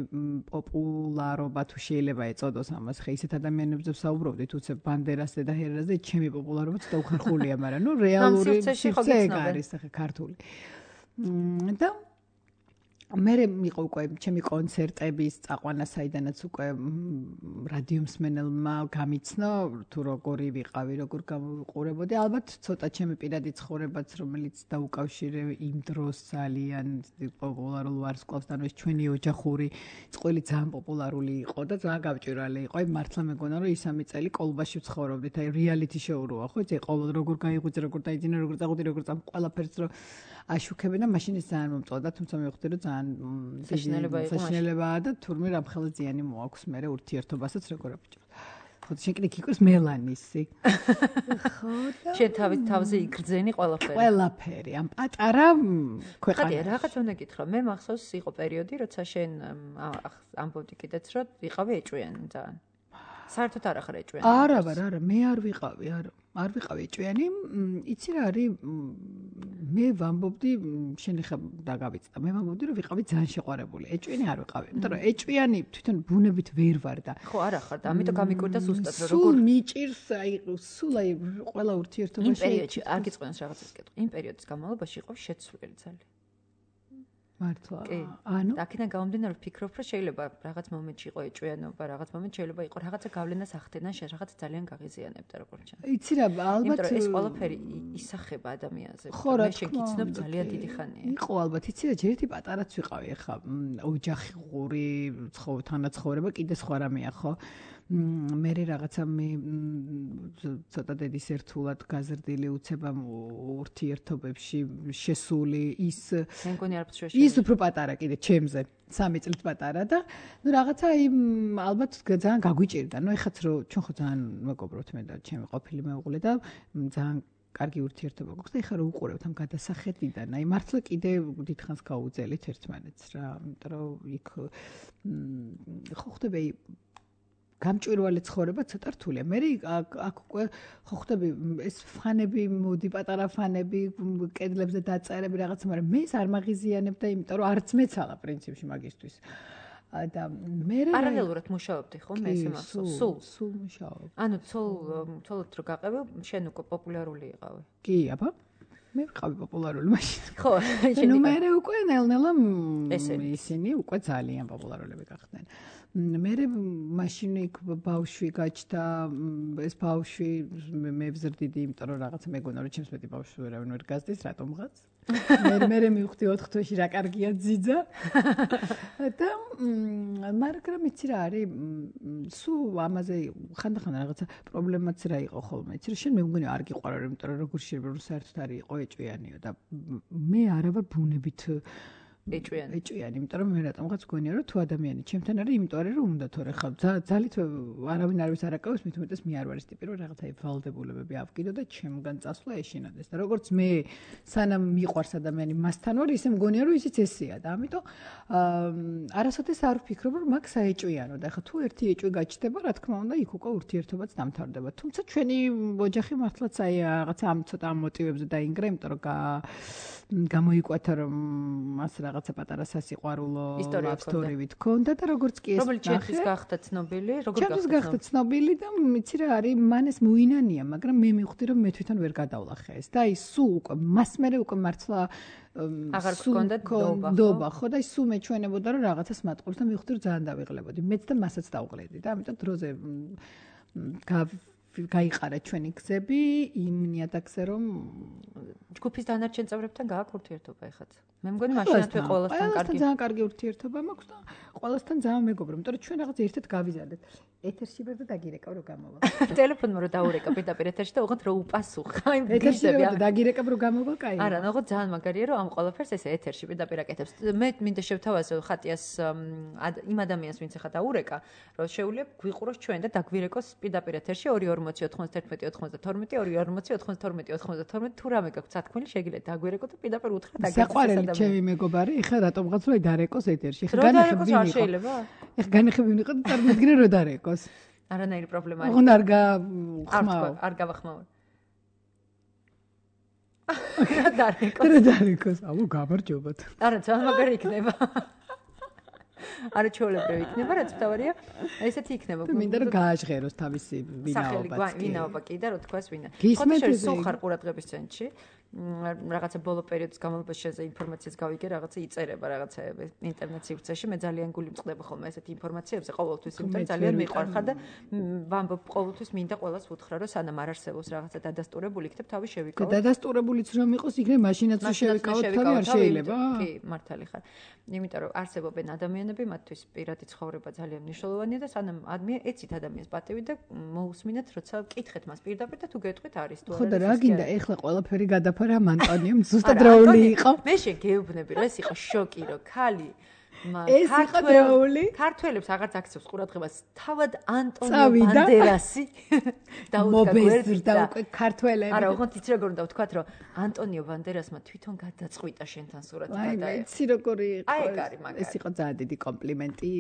პოპულარობა თუ შეიძლება ეწოდოს ამას, ხე ისეთ ადამიანებზე ვსაუბრობდით, უცებ ბანდერასზე და ჰერაზე, ჩემი პოპულარობა ცოტა უხერხულია, მაგრამ ნუ რეალური სივრცე არის ხე ქართული. და მე მიყო უკვე ჩემი კონცერტების წაყვანა, საიდანაც უკვე რადიო მსმენელმა გამიცნო თუ როგორი ვიყავი, როგორ გავუყურებოდი. ალბათ ცოტა ჩემი პირადი ცხოვრებაც, რომელიც დაუკავშირე იმ დროს ძალიან პოპულარულ ვარსკვლავსთან, ეს ჩვენი ოჯახური წყვილი ძალიან პოპულარული იყო და ძალიან გავჭირვალი იყო. აი მართლა მეგონა რომ ისამი წელი კოლბაში ვცხოვრობდით, აი რეალიტი შოუროა, ხო? ეს ყოველ როგორ გაიღვიძე, როგორ დაიძინე, როგორ წაღვიდი, როგორ წამ ყველაფერს რო აშუქებენ და მაშინ ეს ძალიან მომწონდა, თუმცა მე ვხვდი რომ ძალიან საშინელებაა და თურმე რამ ხელა ზიანი მოაქვს მე ურთიერთობასაც როგორ აბჭო. ხო შენ კიდე გიქოს მელანისი. ხო და შენ თავის თავზე იგრძენი ყველაფერი. ყველაფერი ამ პატარა ქვეყანა. ხადი რაღაც უნდა გითხრა, მე მახსოვს იყო პერიოდი, როცა შენ ამბობდი კიდეც რომ ვიყავი ეჭვიანი ძალიან. საერთოდ არ ახარ ეჭვიანი. არა, არა, მე არ ვიყავი, არა. არ ვიყავი ეჭვიანი, იცი რა არის, მე ვამბობდი, შენ ხა დაგავიწყდა, მე ვამბობდი რომ ვიყავი ძალიან შეყვარებული. ეჭვიანი არ ვიყავი, იმიტომ რომ ეჭვიანი თვითონ ბუნებით ვერ ვარ და ხო არა ხარ და ამიტომ გამიკვირდა ზუსტად რომ როგორ სულ მიჭირს, აი სულ აი ყველა ურთიერთობაში იმ პერიოდში არ გიწყენს რაღაცას კეთო. იმ პერიოდის განმავლობაში იყო შეცვლილი ძალიან. მართლა. კი. ანუ აქედან გამომდინარე ვფიქრობ, რომ შეიძლება რაღაც მომენტში იყო ეჭვიანობა, რაღაც მომენტში შეიძლება იყო რაღაცა გავლენას ახდენა, რაღაც ძალიან გაღიზიანებდა როგორც ჩანს. იცი რა, ალბათ იმიტომ რომ ეს ყველაფერი ისახება ადამიანზე. ხო, რა მე შენ თქმა გიცნობ უნდა, ძალიან კი. დიდი ხანია. იყო ალბათ, იცი რა, ჯერ ერთი პატარაც ვიყავი ახლა ოჯახური ცხოვრება, თანაცხოვრება კიდე სხვა რამეა, ხო? მე რაღაცა მე ცოტა დედის ერთულად გაზრდილი უცებამ ურთიერთობებში შესული ის მე მგონი არ ვშეშე. ის უფრო პატარა კიდე ჩემზე, სამი წლით პატარა და ნუ რაღაცა იმ ალბათ ძალიან გაგვიჭირდა. ნუ ეხაც რომ ჩვენ ხო ძალიან მეგობრობთ მე და ჩემი ყოფილი მეუღლე და ძალიან კარგი ურთიერთობა გვაქვს და ეხლა რომ უყურებთ ამ გადასახედიდან, აი მართლა კიდე დიდხანს გაუძელით ერთმანეთს რა, იმიტომ რომ იქ ხო ხდება გამჭვირვალე ცხოვრება ცოტა რთულია. მე აქ უკვე ხო ხდები ეს ფანები, მოდი პატარა ფანები, კედლებზე დაწერები რაღაცა, მაგრამ მე ეს არ მაღიზიანებდა, იმიტომ რომ არც მეცალა პრინციპში მაგისტვის. და მე პარალელურად მუშაობდი ხო მე ესე მახსოვს. სულ სულ მუშაობ. ანუ ცოლ ცოლად რო გაყევი, შენ უკვე პოპულარული იყავი. კი, აბა. მე ვიყავი პოპულარული მაშინ. ხო, შენ ნუ მე უკვე ნელ-ნელა ისინი უკვე ძალიან პოპულარულები გახდნენ. მე მაშინ იქ ბავშვი გაჩნდა, ეს ბავშვი მე ვზრდიდი, იმიტომ რომ რაღაცა მეგონა რომ ჩემს მეტი ბავშვი ვერავინ ვერ გაზდის, რატომღაც. მე მე მივხვდი ოთხ თვეში რა კარგია ძიძა. და მაგრამ იცი რა არის, სულ ამაზე ხანდახან რაღაცა პრობლემაც რა იყო ხოლმე. იცი რა, შენ მე მგონი არ გიყვარო, იმიტომ რომ როგორ შეიძლება რომ საერთოდ არის იყო ეჭვიანიო და მე არა ვარ ბუნებით ეჭვიანი. ეჭვიანი, იმიტომ რომ მე რატომღაც გონია რომ თუ ადამიანი ჩემთან არის, იმიტომ არის რომ უნდა თორე ხა ძალით არავინ არ ვის არაკავებს, მით უმეტეს მე არ ვარ ეს ტიპი რომ რაღაცა ვალდებულებები ავკიდო და ჩემგან წასვლა ეშინოდეს. და როგორც მე სანამ მიყვარს ადამიანი მასთან ვარ, ისე მგონია რომ ისიც ესეა და ამიტომ არასოდეს არ ვფიქრობ რომ მაგ საეჭვიანო და ხა თუ ერთი ეჭვი გაჩნდება, რა თქმა უნდა, იქ უკვე ურთიერთობაც დამთავრდება. თუმცა ჩვენი ოჯახი მართლაც აი რაღაცა ამ ცოტა ამ მოტივებზე დაინგრა, იმიტომ რომ გამოიკვეთა რომ მას რაღაცა პატარა სასიყვარულო ლავსტორივით ქონდა და როგორც კი ეს რომელიც ჩემთვის გახდა ცნობილი, როგორ გახდა? ჩემთვის გახდა ცნობილი და იცი რა არის, მან ეს მოინანია, მაგრამ მე მივხვდი რომ მე თვითონ ვერ გადავლახე ეს და აი სულ უკვე მას მერე უკვე მართლა აღარ გქონდა დობა, ხო და ის სულ მეჩვენებოდა რომ რაღაცას მატყობს და მივხვდი რომ ძალიან დავიღლებოდი. მეც და მასაც დავღლედი და ამიტომ დროზე გაიყარა ჩვენი გზები იმ ნიადაგზე რომ ჯგუფის დანარჩენ წევრებთან გააქვს ურთიერთობა ეხაც. მე მგონი მაშინათვე ყველასთან კარგი. ძალიან კარგი ურთიერთობა მაქვს და ყველასთან ძალიან მეგობრობ, იმიტომ რომ ჩვენ რაღაც ერთად გავიზარდეთ. ეთერში ვერ დაგირეკავ რომ გამოვა. ტელეფონმა რომ დაურეკა პირდაპირ ეთერში და უღოთ რომ უპასუხა იმ ეთერში ვერ დაგირეკავ რომ გამოვა, კაი. არა, ნახო ძალიან მაგარია რომ ამ ყველაფერს ესე ეთერში პირდაპირ აკეთებს. მე მინდა შევთავაზო ხატიას იმ ადამიანს ვინც ახლა დაურეკა, რომ შეუძლია გვიყუროს ჩვენ და დაგვირეკოს პირდაპირ ეთერში ორი ორმოცი ოთხმოცდაერთმეტი ოცდათორმეტი ორი ორმოცი ოცდათორმეტი ოცდათორმეტი თუ რამე გაქვთ სათქმელი შეგიძლიათ დაგვირეკო და პირდაპირ უთხრათ აგეთ. საყვარელი ჩემი მეგობარი, ეხლა რატომღაც რომ დარეკოს ეთერში. ეხლა განახები ვინ იყო? შეიძლება? ეხლა განახები ვინ იყო და წარმოგიდგენე რომ დარეკოს. არანაირი პრობლემა არ აქვს. აღარ გავხმაო. არ გავახმაო. დარეკოს. რა დარეკოს? აუ გამარჯობათ. არა, ძალიან მაგარი იქნება. არა ჩვეულებრივი იქნება, რაც თავარია, ესეთი იქნება. მინდა რომ გააჟღეროს თავისი ვინაობაც. სახელი ვინაობა კი და რო თქვას ვინა. გისმენთ ეს სულ ხარ ყურადღების ცენტრში. რაღაცა ბოლო პერიოდის განმავლობაში შენზე ინფორმაციას გავიგე, რაღაცა იწერება, რაღაცა ინტერნეტ სივრცეში. მე ძალიან გული მწყდება ხოლმე ესეთი ინფორმაციებზე, ყოველთვის იმიტომ ძალიან მიყვარხარ და ვამბობ ყოველთვის მინდა ყველას ვუთხრა, რომ სანამ არ არსებობს რაღაცა დადასტურებული, იქნებ თავი შევიკავო. დადასტურებულიც რომ იყოს, იქნებ მაშინაც შევიკავოთ, თავი არ შეიძლება. კი, მართალი ხარ. იმიტომ რომ არსებობენ ადამიანები, მათთვის პირადი ცხოვრება ძალიან მნიშვნელოვანია და სანამ ადამიან ეცით ადამიანს პატივი და მოусმინეთ, როცა კითხეთ მას პირდაპირ და თუ გეტყვით არის თუ არა. ხო და რა გინდა ეხლა ყველაფერი გადაფარა ანტონიომ ზუსტად დროული იყო. მე შეგეუბნები რომ ეს იყო შოკი რომ ქალი ეს იყო დროული. ქართველებს აღარც აქცევს ყურადღებას თავად ანტონიო ბანდერასი დაუდგა გვერდით და უკვე ქართველები. არა, უღონთ იცი როგორ უნდა ვთქვათ რომ ანტონიო ბანდერასმა თვითონ გადაწყვიტა შენთან სურათი გადაე. აი, იცი როგორი იყო. აი, კარი მაგარი. ეს იყო ძალიან დიდი კომპლიმენტი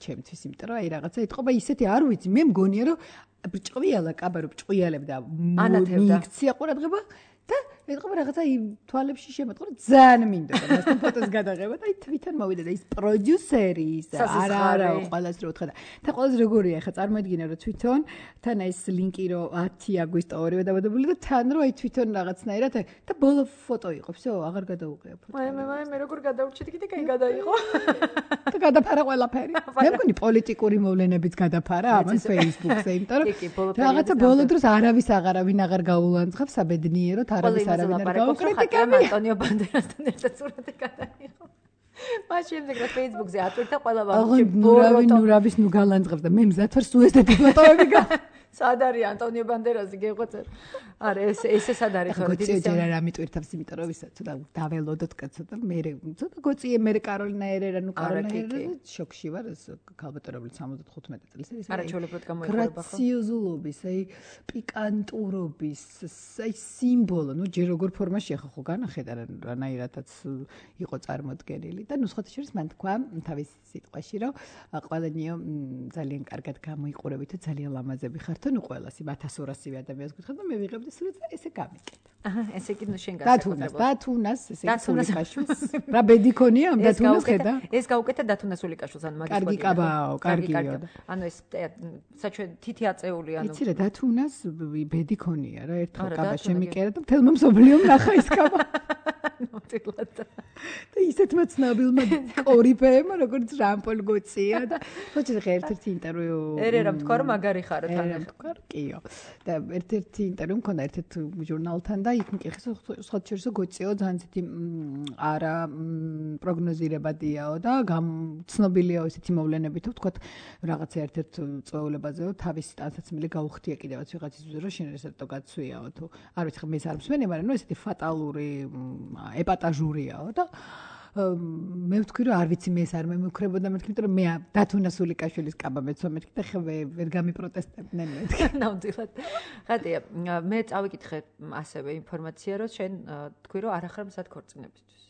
ჩემთვის, იმიტომ რომ აი რაღაცა ეთყობა ისეთი არ ვიცი, მე მგონია რომ ბრჭყვიალა კაბა რომ ბრჭყვიალებდა მიიქცია ყურადღება და ეთქობა რაღაცა იმ თვალებში შემოწყო რომ ძალიან მინდოდა მასთან ფოტოს გადაღება და აი თვითონ მოვიდა და ის პროდიუსერი ის არა არა ყველას რო უთხრა და ყველას როგორია ხა წარმოიდგინე რომ თვითონ თან ეს ლინკი რო ათი აგვისტო ორივე დაბადებული და თან რო აი თვითონ რაღაცნაირად და ბოლო ფოტო იყო всё აღარ გადაუყია ფოტო მე მე მე როგორ გადავრჩით კიდე კაი გადაიღო და გადაფარა ყველაფერი მე მგონი პოლიტიკური მოვლენებიც გადაფარა ამან Facebook-ზე იმიტომ რომ რაღაცა ბოლო დროს არავის აღარავინ აღარ გაულანძღავს საბედნიეროდ არავის არავინ არ გაუკრიტიკებია ანტონიო ბანდერასთან ერთად სურათი გადაიღო მაშინ ეგრე Facebook-ზე ატვირთა ყველა ვაფშე ნურავი ნურავის ნუ გალანძღავს და მე მზად ვარ სულ ესეთი ფოტოები გა სად არის ანტონიო ბანდერასი გეღვაწერ არა ეს ესე სად არის ხო დიდი ჯერ არ ამიტვირთავს იმიტომ რომ ისა ცოტა დაველოდოთ კაცო და მე ცოტა გოციე მე კაროლინა ერერა ნუ კაროლინა ერერა შოქში ვარ ეს ქალბატონებული სამოცდახუთმეტი წელს ის არა ჩოლებრად გამოიყურება ხო გრაციოზულობის აი პიკანტურობის აი სიმბოლო ნუ ჯერ როგორ ფორმაში ახლა ხო განახედა რანაირადაც იყო წარმოდგენილი და ნუ სხვა შორის მან თქვა თავის სიტყვაში რომ ყველანიო ძალიან კარგად გამოიყურებით და ძალიან ლამაზები ხართ ნუ ყველას იმ ათას ორასივე ადამიანს გითხარ და მე ვიღებდი სულაც და ესე გამიკეთა. აჰა, ესე იგი ნუ შენ გასაკუთრებულად. დათუნას, ესე იგი სულიკაშვილს. რა ბედი ქონია ამ დათუნას ხედა? ეს გავუკეთა დათუნას სულიკაშვილს ან მაგის. კარგი კაბაო, კარგიო. ანუ ეს საჩვენ თითი აწეული ანუ. იცი რა დათუნას ბედი ქონია რა ერთხელ კაბა შემიკერა და მთელმა მსოფლიომ ნახა ის კაბა. ნოტილად. და ისეთმა ცნობილმა კორიფეებმა როგორც რამპოლ გოცია და ხოჭი ერთ-ერთი ინტერვიუ ერერა თქვა რომ მაგარი ხარო თან თქვა კიო და ერთ-ერთი ინტერვიუ მქონდა ერთ-ერთ ჟურნალთან და იქ მკითხე სხვა შორისო გოციო ძალიან ცეთი არა პროგნოზირებადიაო და ცნობილია ესეთი მოვლენები თუ თქვა რაღაცა ერთ-ერთ წვეულებაზეო თავისი ტანსაცმელი გაუხდია კიდევაც ვიღაცის რომ შენ ესეთო გაცვიაო თუ არ ვიცი მე არ მსმენი მაგრამ ნუ ესეთი ფატალური ეპატაჟურიაო და მე ვთქვი რომ არ ვიცი მე ეს არ მემუქრებოდა მეთქი იმიტომ რომ მე დათუნა სულიკაშვილის კაბა მეცვა მეთქი და ხე ვერ გამიპროტესტებდნენ მეთქი ნამდვილად ხატია მე წავიკითხე ასევე ინფორმაცია რომ შენ თქვი რომ არ ახარ მსად ქორწინებისთვის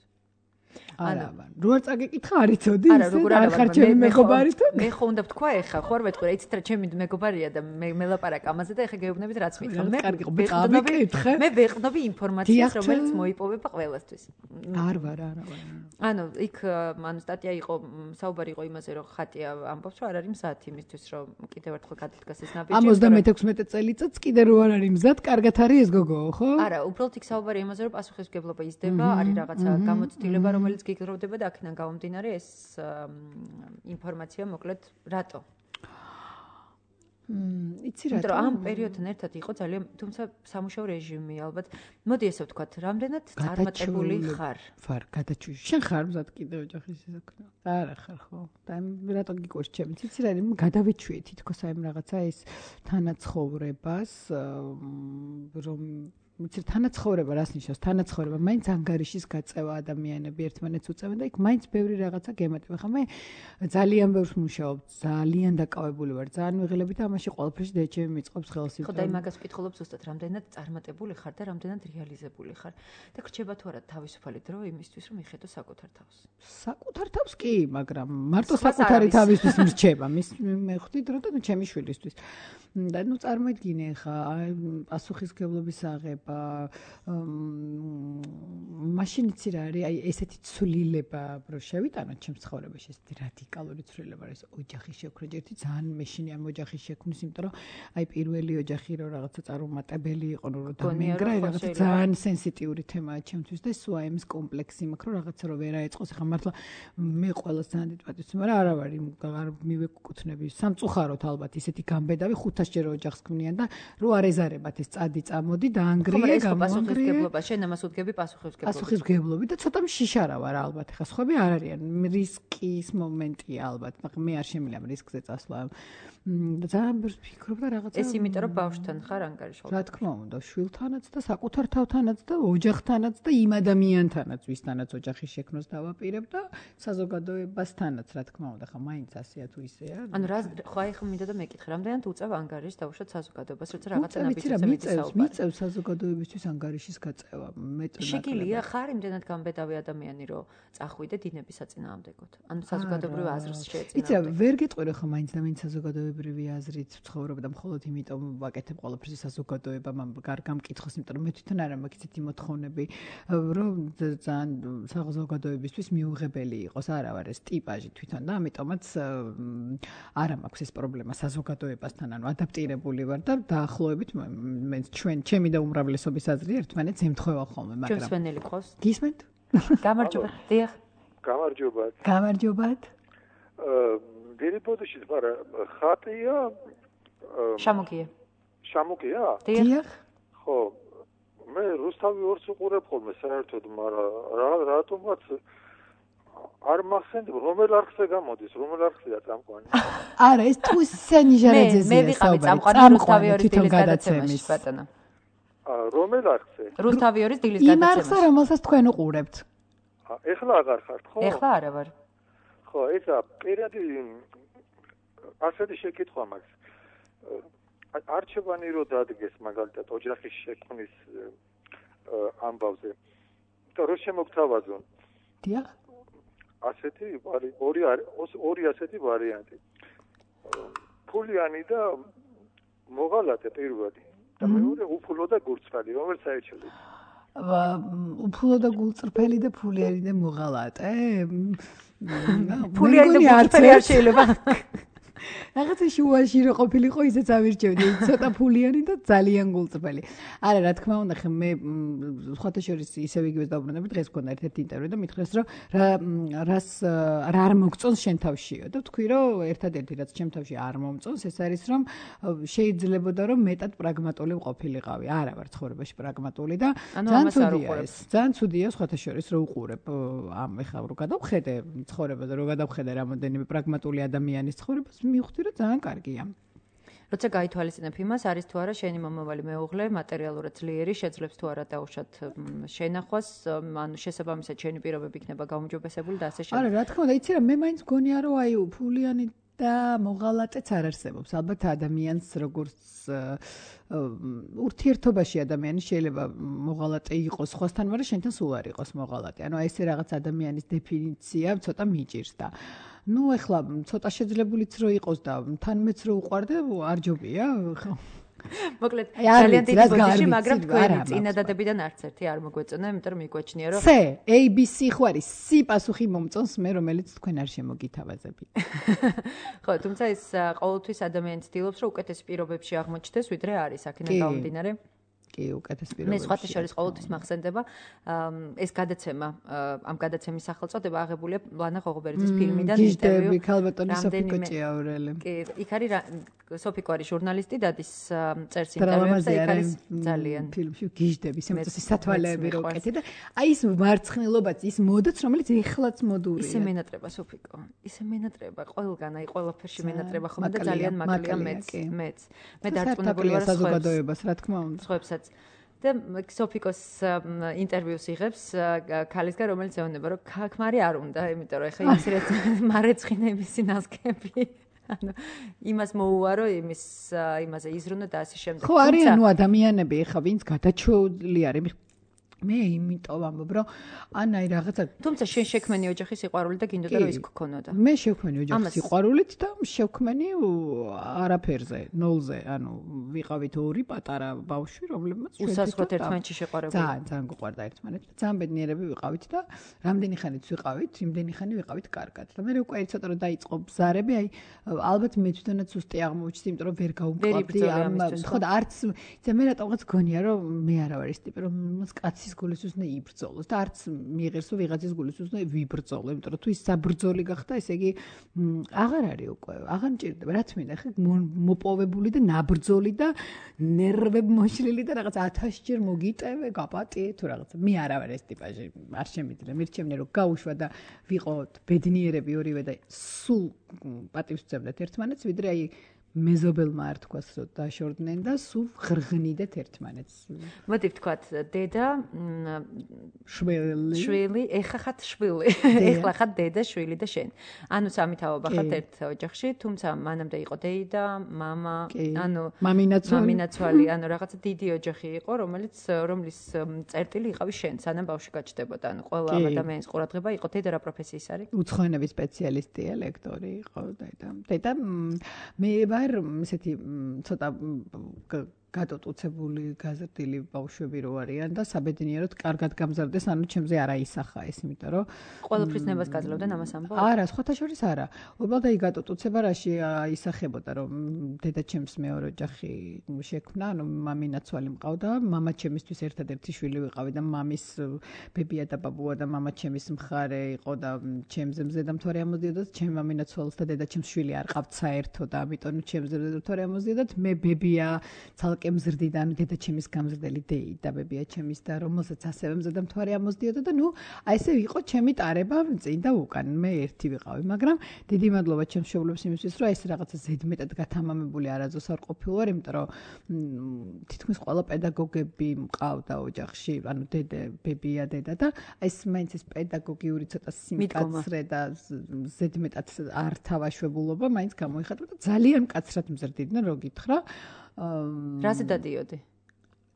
არა რო არ წაგეკითხა არ იცოდი არ ხარ ჩემი მეგობარი თუ მე ხო უნდა ვთქვა ეხა ხო არ ვეთქვი რა იცით რა ჩემი მეგობარია და მე მელაპარაკ ამაზე და ეხა გეუბნებით რაც მითხრა მე ვეყნობი მე ვეყნობი ინფორმაციას რომელიც მოიპოვება ყველასთვის არ ვარ არა ვარ ანუ იქ ანუ სტატია იყო საუბარი იყო იმაზე რომ ხატია ამბობს რომ არ არის მზად იმისთვის რომ კიდევ ერთხელ გადადგას ეს ნაბიჯი ამდენმეტექვსმეტე წელიწადს კიდე რო არ არის მზად კარგად არის ეს გოგო ხო არა უბრალოდ იქ საუბარი იმაზე რომ პასუხისმგებლობა იზრდება არის რაღაცა გამოცდილება რომელიც გიგროვდება და აქედან გამომდინარე ეს ინფორმაცია მოკლედ რატო? მმ, იცი რატო? იმიტომ ამ პერიოდთან ერთად იყო ძალიან, თუმცა სამუშაო რეჟიმი ალბათ. მოდი ესე ვთქვათ, რამდენად წარმატებული ხარ? ვარ, გადაჭვი. შენ ხარ მზად კიდე ოჯახის საქმე? არა ხარ ხო? და რატო გიყვარს ჩემი? იცი რა, გადავიჩვიე თითქოს აი რაღაცა ეს თანაცხოვრებას, რომ მიცი თანაცხოვრება რას ნიშნავს? თანაცხოვრება მაინც ანგარიშის გაწევა ადამიანები ერთმანეთს უწევენ და იქ მაინც ბევრი რაღაცა გემატება. ხა მე ძალიან ბევრს მუშაობ, ძალიან დაკავებული ვარ, ძალიან ვიღელები და ამაში ყველაფერში დეჩემი მიწყობს ხელს. ხო და იმაგას ვკითხულობ ზუსტად რამდენად წარმატებული ხარ და რამდენად რეალიზებული ხარ. და გრჩება თუ არა თავისუფალი დრო იმისთვის რომ მიხედო საკუთარ თავს. საკუთარ თავს კი, მაგრამ მარტო საკუთარი თავისთვის მრჩება. მის მე ხვდი დრო და ჩემი შვილისთვის. და ნუ წარმოიდგინე ხა პასუხისმგებლობის აღება მაშინ იცი რა არის აი ესეთი ცვლილება რო შევიტანოთ ჩემს ცხოვრებაში ესეთი რადიკალური ცვლილება არის ოჯახის შექმნა ერთი ძალიან მეშინი ამ ოჯახის შექმნის იმიტომ რომ აი პირველი ოჯახი რო რაღაცა წარუმატებელი იყო რო დამენგრა რაღაცა ძალიან სენსიტიური თემაა ჩემთვის და სულ აი ამის კომპლექსი მაქვს რომ რაღაცა რო ვერ აეწყოს ხა მართლა მე ყოველს ძალიან დიდ პატივს მაგრამ არა ვარ არ მივეკუთვნები სამწუხაროდ ალბათ ისეთი გამბედავი ხუთ ჯერ ოჯახს ქმნიან და რო არ ეზარებათ ეს წადი წამოდი და ანგრია გამონგრია შენ ამას უდგები პასუხისმგებლობა პასუხისმგებლობით და ცოტა მშიშარა ვარ ალბათ ხა სხვები არ არიან რისკის მომენტია ალბათ მაგრამ მე არ შემიძლია რისკზე წასვლა და ძალიან ბევრს ვფიქრობ და რაღაცა ეს იმიტომ რომ ბავშვთან ხარ ანგარიშვალ რა თქმა უნდა შვილთანაც და საკუთარ თავთანაც და ოჯახთანაც და იმ ადამიანთანაც ვისთანაც ოჯახის შექმნას დავაპირებ და საზოგადოებასთანაც რა თქმა უნდა ხა მაინც ასეა თუ ისეა ანუ რა ხო აი ხომ მინდა და მეკითხე რამდენად უწევ ანგარიშს დავუშვათ საზოგადოებას როცა რაღაცა ნაბიჯზე მიწევს მიწევს საზოგადოებისთვის ანგარიშის გაწევა მეწონა შეგილია ხარ იმდენად გამბედავი ადამიანი რომ წახვიდე დინების საწინააღმდეგოდ ანუ საზოგადოებრივ აზრს შეეწინააღმდეგე იცი ვერ გეტყვი რომ ხა მაინც და მაინც საზოგადოებრივ ჩვეულებრივი აზრით ცხოვრობ და მხოლოდ იმიტომ ვაკეთებ ყველაფერს საზოგადოებამ გარგამ მკითხოს, იმიტომ რომ მე თვითონ არ მაქვს ისეთი მოთხოვნები, რომ ძალიან საზოგადოებისთვის მიუღებელი იყოს, არა ვარ ეს ტიპაჟი თვითონ და ამიტომაც არ მაქვს ეს პრობლემა საზოგადოებასთან, ანუ ადაპტირებული ვარ და დაახლოებით მე ჩვენ ჩემი და უმრავლესობის აზრი ერთმანეთს ემთხვევა ხოლმე, მაგრამ ჩვენსვენელი ყავს. გისმენთ? გამარჯობა. დიახ. გამარჯობა. გამარჯობათ. დერიბოდში ვარ ხატია შამოკია. შამოკია? დიახ. ხო. მე რუსთავი ორს უყურებ ხოლმე საერთოდ, მაგრამ რატომაც არ მახსენდება რომელ არხზე გამოდის, რომელ არხზეა წამყვანი. არა, ეს თუ სენიჟარაძეზე მე ვიყავი წამყვანი რუსთავი ორის დილის გადაცემაში, ბატონო. რომელ არხზე? რუსთავი ორის დილის გადაცემაში. იმ არხზე, რომელსაც თქვენ უყურებთ. ეხლა აღარ ხართ, ხო? ეხლა არა ვარ. ხო, ესა პირადი ასეთი შეკითხვა მაქვს. არჩევანი რო დადგეს მაგალითად ოჯახის შექმნის ამბავზე. და რო შემოგთავაზონ. დიახ. ასეთი ორი ორი ასეთი ვარიანტი. ფულიანი და მოღალატე პირველი. და მეორე უფულო და გულწრფელი, რომელიც აიჩლებს. უფულო და გულწრფელი და ფულიანი და მოღალატე? ფულიანი და გულწრფელი არ შეიძლება. რაღაცა შუაში რო ყოფილიყო ისეც ავირჩევდი, ცოტა ფულიანი და ძალიან გულწრფელი. არა, რა თქმა უნდა, ხე მე სხვათა შორის ისევ იგივეს დავბრუნდები, დღეს მქონდა ერთ-ერთი ინტერვიუ და მითხრეს, რომ რა რას რა არ მოგწონს შენ თავშიო და თქვი, რომ ერთადერთი რაც ჩემ თავში არ მომწონს, ეს არის, რომ შეიძლებოდა რომ მეტად პრაგმატული ყოფილიყავი. არა ვარ ცხოვრებაში პრაგმატული და ძალიან ცუდია ეს. ძალიან ცუდია სხვათა შორის რო უყურებ ამ ეხლა რო გადავხედე ცხოვრებაზე, რო გადავხედე რამოდენიმე პრაგმატული ადამიანის ცხოვრებას მივხვდი რომ ძალიან კარგია. როცა გაითვალისწინებ იმას, არის თუ არა შენი მომავალი მეუღლე მატერიალურად ძლიერი, შეძლებს თუ არა დაუშვათ შენახვას, ანუ შესაბამისად შენი პირობები იქნება გაუმჯობესებული და ასე შემდეგ. არა, რა თქმა უნდა, იცი რა, მე მაინც გონია რომ აი ფულიანი და მოღალატეც არ არსებობს. ალბათ ადამიანს როგორც ურთიერთობაში ადამიანი შეიძლება მოღალატე იყოს სხვასთან, მაგრამ შენთან სულ არ იყოს მოღალატე. ანუ აი ესე რაღაც ადამიანის დეფინიცია ცოტა მიჭირს და ну ეხლა ცოტა შეძლებულიც რო იყოს და თან მეც რო უყარდე არ ჯობია ხო მოკლედ ძალიან დიდი ბოდიში მაგრამ თქვენი წინადადებიდან არც ერთი არ მოგვეწონა იმიტომ რომ მიგვაჩნია რომ C A B C ხო არის C პასუხი მომწონს მე რომელიც თქვენ არ შემოგითავაზები ხო თუმცა ეს ყოველთვის ადამიანი ცდილობს რომ უკეთეს პირობებში აღმოჩნდეს ვიდრე არის აქედან გამომდინარე კი უკეთეს პირობებში. მე სხვათა შორის ყოველთვის მახსენდება ეს გადაცემა ამ გადაცემის სახელწოდება აღებულია ლანა ღოღობერიძის ფილმიდან ინტერვიუ. გიჟდები ქალბატონი სოფიკო ჭიაურელი. კი, იქ არის სოფიკო არის ჟურნალისტი და ის წერს ინტერვიუებს და იქ არის ძალიან ფილმში გიჟდები, შემოწეს სათვალეები რო უკეთე და აი ეს მარცხნილობაც, ის მოდაც რომელიც ეხლაც მოდურია. ისე მენატრება სოფიკო. ისე მენატრება ყველგან, აი ყველაფერში მენატრება ხომ და ძალიან მაკლია მეც, მეც. მე დარწმუნებული ვარ საზოგადოებას, რა თქმა უნდა. სხვებსაც და სოფიკოს ინტერვიუს იღებს ქალისგან რომელიც ეუბნება რომ ქაქმარი არ უნდა იმიტომ რომ ეხლა ის რეც მარეცხინების ნასკები ანუ იმას მოუარო იმის იმაზე იზრუნო და ასე შემდეგ ხო არიან ნუ ადამიანები ეხლა ვინც გადაჩეული არის მე იმიტომ ვამბობ რომ ანაი რაღაცა თუმცა შენ შექმენი ოჯახის სიყვარული და გინდოდა რომ ის გქონოდა მე შექმენი ოჯახის სიყვარულით და შექმენი არაფერზე ნოლზე ანუ ვიყავით ორი პატარა ბავშვი რომლებმაც უსასრულოდ ერთმანეთში შეყვარებული ძალიან ძალიან გვყვარდა ერთმანეთი ძალიან ბედნიერები ვიყავით და რამდენი ხანიც ვიყავით იმდენი ხანი ვიყავით კარგად და მე უკვე ცოტა რომ დაიწყო ბზარები აი ალბათ მე თვითონაც უსტი აღმოჩნდი იმიტომ რომ ვერ გაუმკლავდი ამ ხო და არც იცი მე რატომღაც გონია რომ მე არა ვარ ის ტიპი რომ კაცის გულის უნდა იბრძოლოს და არც მიიღებს რომ ვიღაცის გულის უნდა ვიბრძოლო, იმიტომ რომ თუ ის საბრძოლი გახდა, ესე იგი აღარ არის უკვე, აღარ მჭირდება, რაც მინდა, ხე მოპოვებული და ნაბრძოლი და ნერვებმოშლილი და რაღაც ათასჯერ მოგიტევე, გაპატიე თუ რაღაც. მე არა ვარ ეს ტიპაჟი, არ შემიძლია. მირჩევნე რომ გაუშვა და ვიყოთ ბედნიერები ორივე და სულ პატივს ვცემდეთ ერთმანეთს, ვიდრე აი მეზობელმა არ თქვას რომ დაშორდნენ და სულ ღრღნიდეთ ერთმანეთს. მოდი ვთქვათ დედა შვილი შვილი ეხლა ხათ შვილი ეხლა ხათ დედა შვილი და შენ. ანუ სამი თაობა ხათ ერთ ოჯახში, თუმცა მანამდე იყო დეიდა, მამა, ანუ მამინაცვალი, მამინაცვალი, ანუ რაღაცა დიდი ოჯახი იყო, რომელიც რომლის წერტილი იყავი შენ, სანამ ბავშვი გაჩნდებოდა. ანუ ყველა ადამიანის ყურადღება იყო დედა რა პროფესიის არის? უცხოენების სპეციალისტია, ლექტორი იყო დედა. დედა მე არ ესეთი ცოტა გადატუცებული გაზრდილი ბავშვები რო არიან და საბედნიეროდ კარგად გამზარდეს, ანუ ჩემზე არ აისახა ეს, იმიტომ რომ ყველაფრის ნებას გაძლევდნენ ამას ამბობ? არა, სხვათა შორის არა. უბრალოდ აი გადატუცება რაში აისახებოდა, რომ დედაჩემს მეორე ოჯახი შექმნა, ანუ მამინაცვალი მყავდა, მამაჩემისთვის ერთადერთი შვილი ვიყავი და მამის ბებია და ბაბუა და მამაჩემის მხარე იყო და ჩემზე მზედამთვარე ამოდიოდათ, ჩემ მამინაცვალს და დედაჩემს შვილი არ ყავთ საერთოდ, ამიტომ ჩემზე მზედამთვარე ამოდიოდათ, მე ბებია ცალკე მზრდიდა, ანუ დედაჩემის გამზრდელი დეი და ბებია ჩემის და რომელსაც ასევე მზედამთვარე ამოდიოდა და ნუ აი ესე იყო ჩემი ტარება წინ და უკან, მე ერთი ვიყავი, მაგრამ დიდი მადლობა ჩემს მშობლებს იმისთვის, რომ ეს რაღაცა ზედმეტად გათამამებული არაზოს არ ყოფილვარ, იმიტომ რომ თითქმის ყველა პედაგოგები მყავდა ოჯახში, ანუ დედა, ბებია, დედა და ეს მაინც ეს პედაგოგიური ცოტა სიმკაცრე და ზედმეტად არ თავაშვებულობა მაინც გამოიხატა და ძალიან მკაცრად მზრდიდნენ, რო გითხრა. რაზე დადიოდი?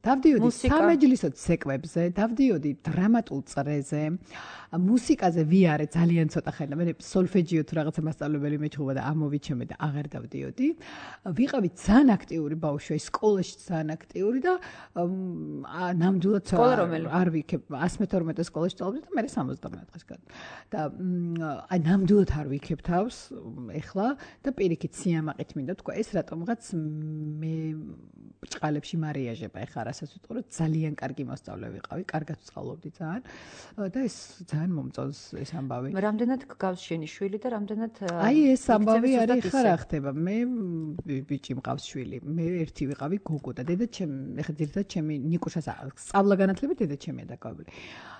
დავდიოდი სამეჯლისო ცეკვებზე, დავდიოდი დრამატულ წრეზე, მუსიკაზე ვიარე ძალიან ცოტა ხანი, მე სოლფეჯიო თუ რაღაცა მასწავლებელი მეჩხუბა და ამოვიჩემე და აღარ დავდიოდი. ვიყავი ძალიან აქტიური ბავშვი, სკოლაში ძალიან აქტიური და ნამდვილად არ ვიქებ one twenty-two სკოლაში სწავლობდი და მე sixty-nine დღეს გад. და აი ნამდვილად არ ვიქებ თავს ეხლა და პირიქით სიამაყით მინდა თქვა ეს რატომღაც მე ბრჭყალებში მარიაჟება ეხლა რასაც ვიტყვი რომ ძალიან კარგი მოსწავლე ვიყავი, კარგად ვსწავლობდი ძალიან და ეს ძალიან მომწონს ეს ამბავი. რამდენად გავს შენი შვილი და რამდენად აი ეს ამბავი არის ხარ ახდება. მე ბიჭი მყავს შვილი. მე ერთი ვიყავი გოგო და დედა ჩემი ეხლა ძირითადად ჩემი ნიკუშას სწავლა განათლებით დედა ჩემია დაკავებული.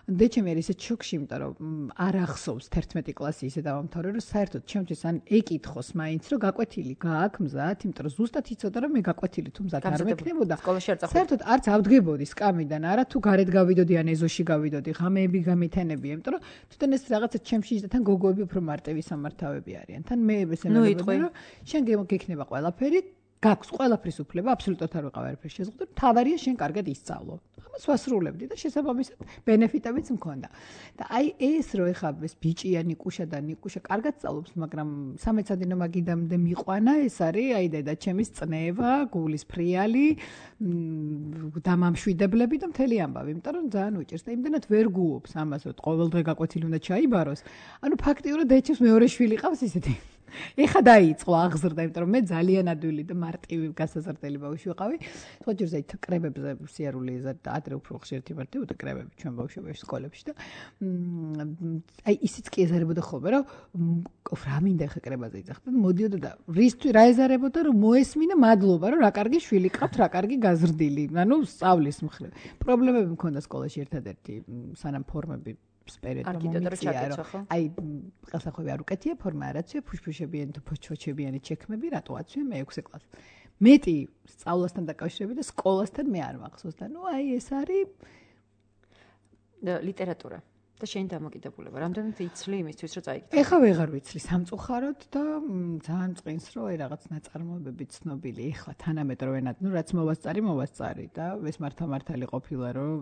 დედა არის ისეთ შოქში, იმიტომ რომ არ ახსოვს one-րդ კლასი ისე დავამთავრე, რომ საერთოდ ჩემთვის ან ეკითხოს მაინც რომ გაკვეთილი გააქვს მზად, იმიტომ რომ ზუსტად იცოდა რომ მე გაკვეთილი თუ მზად არ მექნებოდა. საერთოდ არც ავდგებოდი სკამიდან, არა თუ გარეთ გავიდოდი ან ეზოში გავიდოდი, ღამეები გამითენებია, იმიტომ რომ თვითონ ეს რაღაცა ჩემში და თან გოგოები უფრო მარტივი სამართავები არიან. თან მე ესე მეგობრები რომ შენ გექნება ყველაფერი, გაქვს ყველაფრის უფლება, აბსოლუტურად არ ვიყავ არაფერს შეზღუდე, თავარია შენ კარგად ისწავლო. ამას ვასრულებდი და შესაბამისად ბენეფიტებიც მქონდა. და აი ეს რო ეხა ეს ბიჭია ნიკუშა და ნიკუშა კარგად სწავლობს, მაგრამ სამეცადინო მაგიდამდე მიყვანა, ეს არის აი დედაჩემის წნევა, გულის ფრიალი, დამამშვიდებლები და მთელი ამბავი, იმიტომ რომ ძალიან უჭირს და იმდენად ვერ გუობს ამას, რომ ყოველდღე გაკვეთილი უნდა ჩაიბაროს. ანუ ფაქტიურად დედაჩემს მეორე შვილი ყავს ისეთი. ეხა დაიწყო აღზრდა, იმიტომ რომ მე ძალიან ადვილი და მარტივი გასაზრდელი ბავშვი ვიყავი. სხვა ჯერზე ით კრებებზე სიარული ეზარდა ადრე უფრო ხშირად იმართებოდა კრებები ჩვენ ბავშვობაში სკოლებში და აი ისიც კი ეზარებოდა ხოლმე, რომ რა მინდა ხა კრებაზე იძახდა და მოდიოდა და რისთვის რა ეზარებოდა, რომ მოესმინა მადლობა, რომ რა კარგი შვილი ყავთ, რა კარგი გაზრდილი, ანუ სწავლის მხრივ. პრობლემები მქონდა სკოლაში ერთადერთი სანამ ფორმები აი ყელსახვევი არ უკეთია, ფორმა არ აცვია, ფუშფუშებიანი თუ ფოჩფოჩებიანი ჩექმები, რატო აცვია მე ექვსე კლასში. მეტი სწავლასთან დაკავშირებით და სკოლასთან მე არ მახსოვს და ნუ აი ეს არის ლიტერატურა და შენი დამოკიდებულება. რამდენად იცლი იმისთვის, რომ წაიკითხო? ეხლა ვეღარ ვიცლი სამწუხაროდ და ძალიან წყინს, რომ აი რაღაც ნაწარმოებები ცნობილი ეხლა თანამედროვე, ნუ რაც მოვასწარი, მოვასწარი და ეს მართლა-მართალი ყოფილა, რომ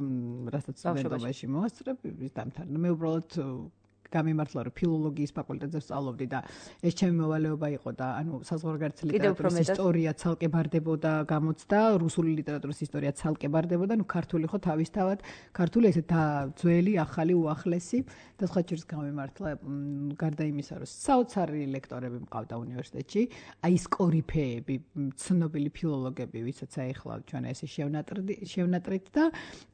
რასაც სტუდენტობაში მოვასწრებ, ის დამთავრდა. მე უბრალოდ გამიმართლა, რომ ფილოლოგიის ფაკულტეტზე ვსწავლობდი და ეს ჩემი მოვალეობა იყო და ანუ საზღვარგარეთ ლიტერატურის ისტორია ცალკე ბარდებოდა, გამოცდა, რუსული ლიტერატურის ისტორია ცალკე ბარდებოდა, ნუ ქართული ხო თავისთავად, ქართული ესე და ძველი, ახალი, უახლესი და სხვა ჯერს გამიმართლა გარდა იმისა, რომ საოცარი ლექტორები მყავდა უნივერსიტეტში, აი ეს კორიფეები, ცნობილი ფილოლოგები, ვისაც აეხლა ჩვენ ესე შევნატრით და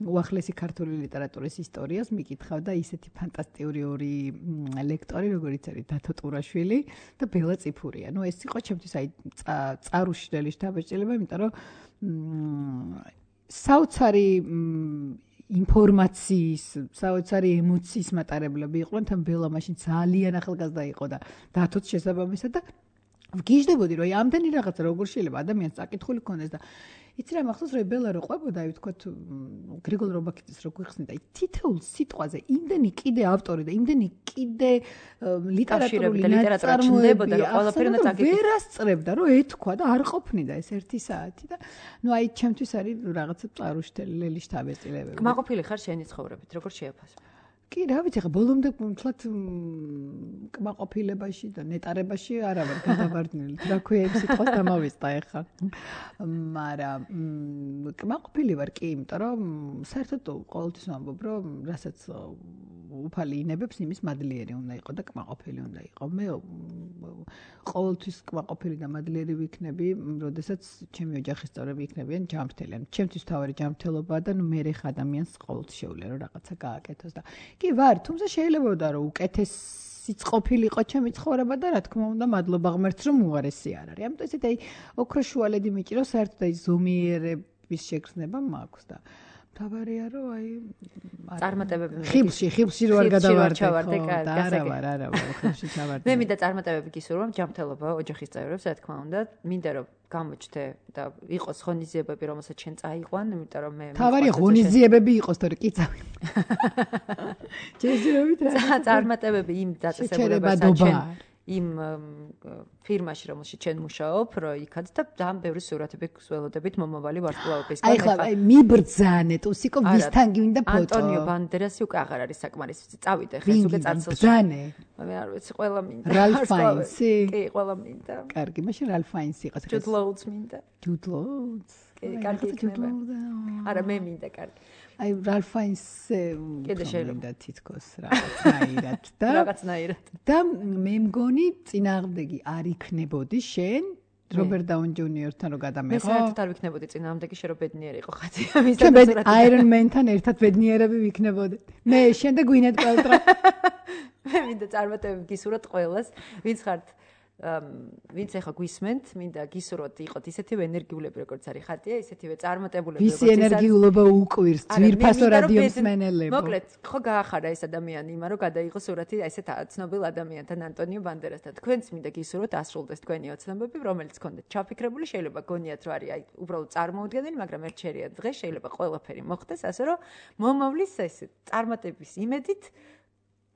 უახლესი ქართული ლიტერატურის ისტორიას მიკითხავდა ისეთი ფანტასტიკური ორი ლექტორი, როგორიც არის დათო ტურაშვილი და ბელა წიფურია. ნუ ეს იყო ჩემთვის აი წარუშლელი შთაბეჭდილება, იმიტომ რომ საოცარი ინფორმაციის, საოცარი ემოციის მატარებლები იყვნენ, თან ბელა მაშინ ძალიან ახალგაზრდა იყო და დათოც შესაბამისად და ვგიჟდებოდი, რომ აი ამდენი რაღაცა როგორ შეიძლება ადამიანს წაკითხული ქონდეს და იცი რა მახსოვს რომ ბელა რო ყვებოდა, აი ვთქვათ გრიგოლ რობაქიძის რო გვიხსნიდა, აი თითოეულ სიტყვაზე იმდენი კიდე ავტორი და იმდენი კიდე ლიტერატურული ნაწარმოებები და ყველაფერი უნდა წაკითხო. ვერ ასწრებდა რომ ეთქვა და არ ყოფნიდა ეს ერთი საათი და ნუ აი ჩემთვის არის რაღაცა წარუშლელი შთაბეჭდილებები. კმაყოფილი ხარ შენი ცხოვრებით, როგორ შეაფასებ? კი, რა ვიცი, ხა ბოლომდე თლათ კმაყოფილებაში და ნეტარებაში არა ვარ გადავარდნილი. რა ქვია იმ სიტყვას დამავიწყდა ეხლა. მაგრამ კმაყოფილი ვარ კი, იმიტომ რომ საერთოდ ყოველთვის ვამბობ, რომ რასაც უფალი ინებებს, იმის მადლიერი უნდა იყო და კმაყოფილი უნდა იყო. მე ყოველთვის კმაყოფილი და მადლიერი ვიქნები, როდესაც ჩემი ოჯახის წევრები იქნებიან ჯანმრთელი. ანუ ჩემთვის თავარი ჯანმრთელობაა და ნუ მე ხა ადამიანს ყოველთვის შეუძლია რომ რაღაცა გააკეთოს და კი ვარ, თუმცა შეიძლებოდა რომ უკეთესიც ყოფილიყო ჩემი ცხოვრება და რა თქმა უნდა მადლობა ღმერთს რომ უარესი არ არის. ამიტომ ესეთი აი ოქროშუალედი მიჭირავს საერთოდ აი ზომიერების შეგრძნება მაქვს და თავარია რომ აი წარმატებები ხიბლში ხიბლში რო არ გადავარდე ხო და არა ვარ არა ვარ ხიბლში ჩავარდე მე მინდა წარმატებები გისურვო ჯანმრთელობა ოჯახის წევრებს რა თქმა უნდა მინდა რომ გამოჩნდე და იყოს ღონისძიებები რომელსაც შენ წაიყვან იმიტომ რომ მე თავარია ღონისძიებები იყოს თორე კი წავი ჯერჯერობით რა წარმატებები იმ დაწესებულებასაც იმ ფირმაში რომელშიც ჩვენ მუშაობ, რომ იქაც და ძალიან ბევრი სურათები გველოდებით მომავალი ვარსკვლავებისგან. აი ხლა აი მიბრძანე, თუსიკო ვისთან გინდა ფოტო. ანტონიო ბანდერასი უკვე აღარ არის საკმარისი. წავიდე ხე, უკვე წარცელში. ბრძანე. მე არ ვიცი, ყველა მინდა. რალფ ფაინსი? კი, ყველა მინდა. კარგი, მაშინ რალფ ფაინსი იყოს. ჯუდ ლოუდს მინდა. ჯუდ ლოუდს. კი, კარგი იქნება. არა, მე მინდა კარგი. აი რალფ ფაინსი კიდე შეიძლება თითქოს რაღაცნაირად და რაღაცნაირად და მე მგონი წინააღმდეგი არ იქნებოდი შენ რობერტ დაუნი ჯუნიორთან რო გადამეღო მე საერთოდ არ ვიქნებოდი წინააღმდეგი შენ რო ბედნიერი იყო ხათი ამის და აირონ მენთან ერთად ბედნიერები ვიქნებოდი მე შენ და გვინეთ პელტრა მე მინდა წარმატებები გისურვოთ ყველას ვინც ხართ ვინც ახლა გვისმენთ, მინდა გისურვოთ იყოთ ისეთივე ენერგიულები, როგორც არის ხატია, ისეთივე წარმატებულები, როგორც ის. ვისი ენერგიულობა უკვირს, ძვირფასო რადიოს მენელებო. მოკლედ, ხო გაახარა ეს ადამიანი იმა, რომ გადაიღო სურათი ესეთ ცნობილ ადამიანთან, ანტონიო ბანდერასთან. თქვენც მინდა გისურვოთ ასრულდეს თქვენი ოცნებები, რომელიც გქონდეთ ჩაფიქრებული, შეიძლება გონიათ, რომ არის აი უბრალოდ წარმოუდგენელი, მაგრამ ერთ შერია დღეს შეიძლება ყველაფერი მოხდეს, ასე რომ მომავლის ეს წარმატების იმედით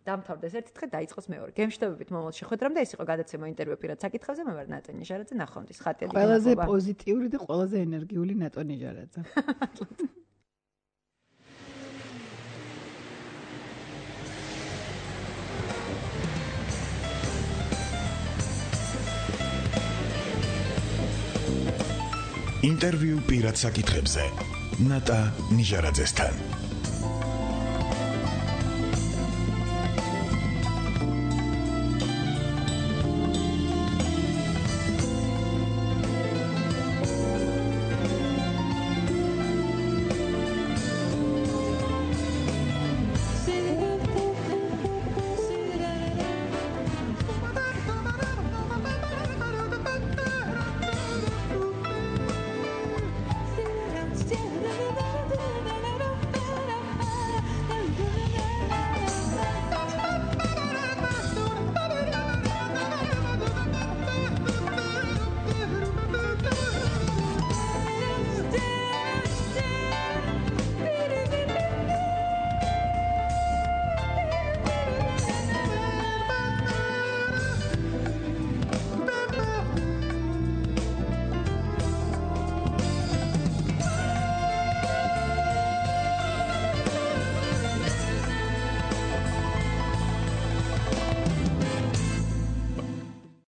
დამთავრდეს ერთი დღე დაიწყოს მეორე. გემშვიდობებით მომავალ შეხვედრამდე ეს იყო გადაცემა ინტერვიუ პირად საკითხებზე მე ვარ ნატონი ჟარაძე ნახვამდის ხატია დიდი ყველაზე პოზიტიური და ყველაზე ენერგიული ნატონი ჟარაძე. ინტერვიუ პირად საკითხებზე ნატა ნიჟარაძესთან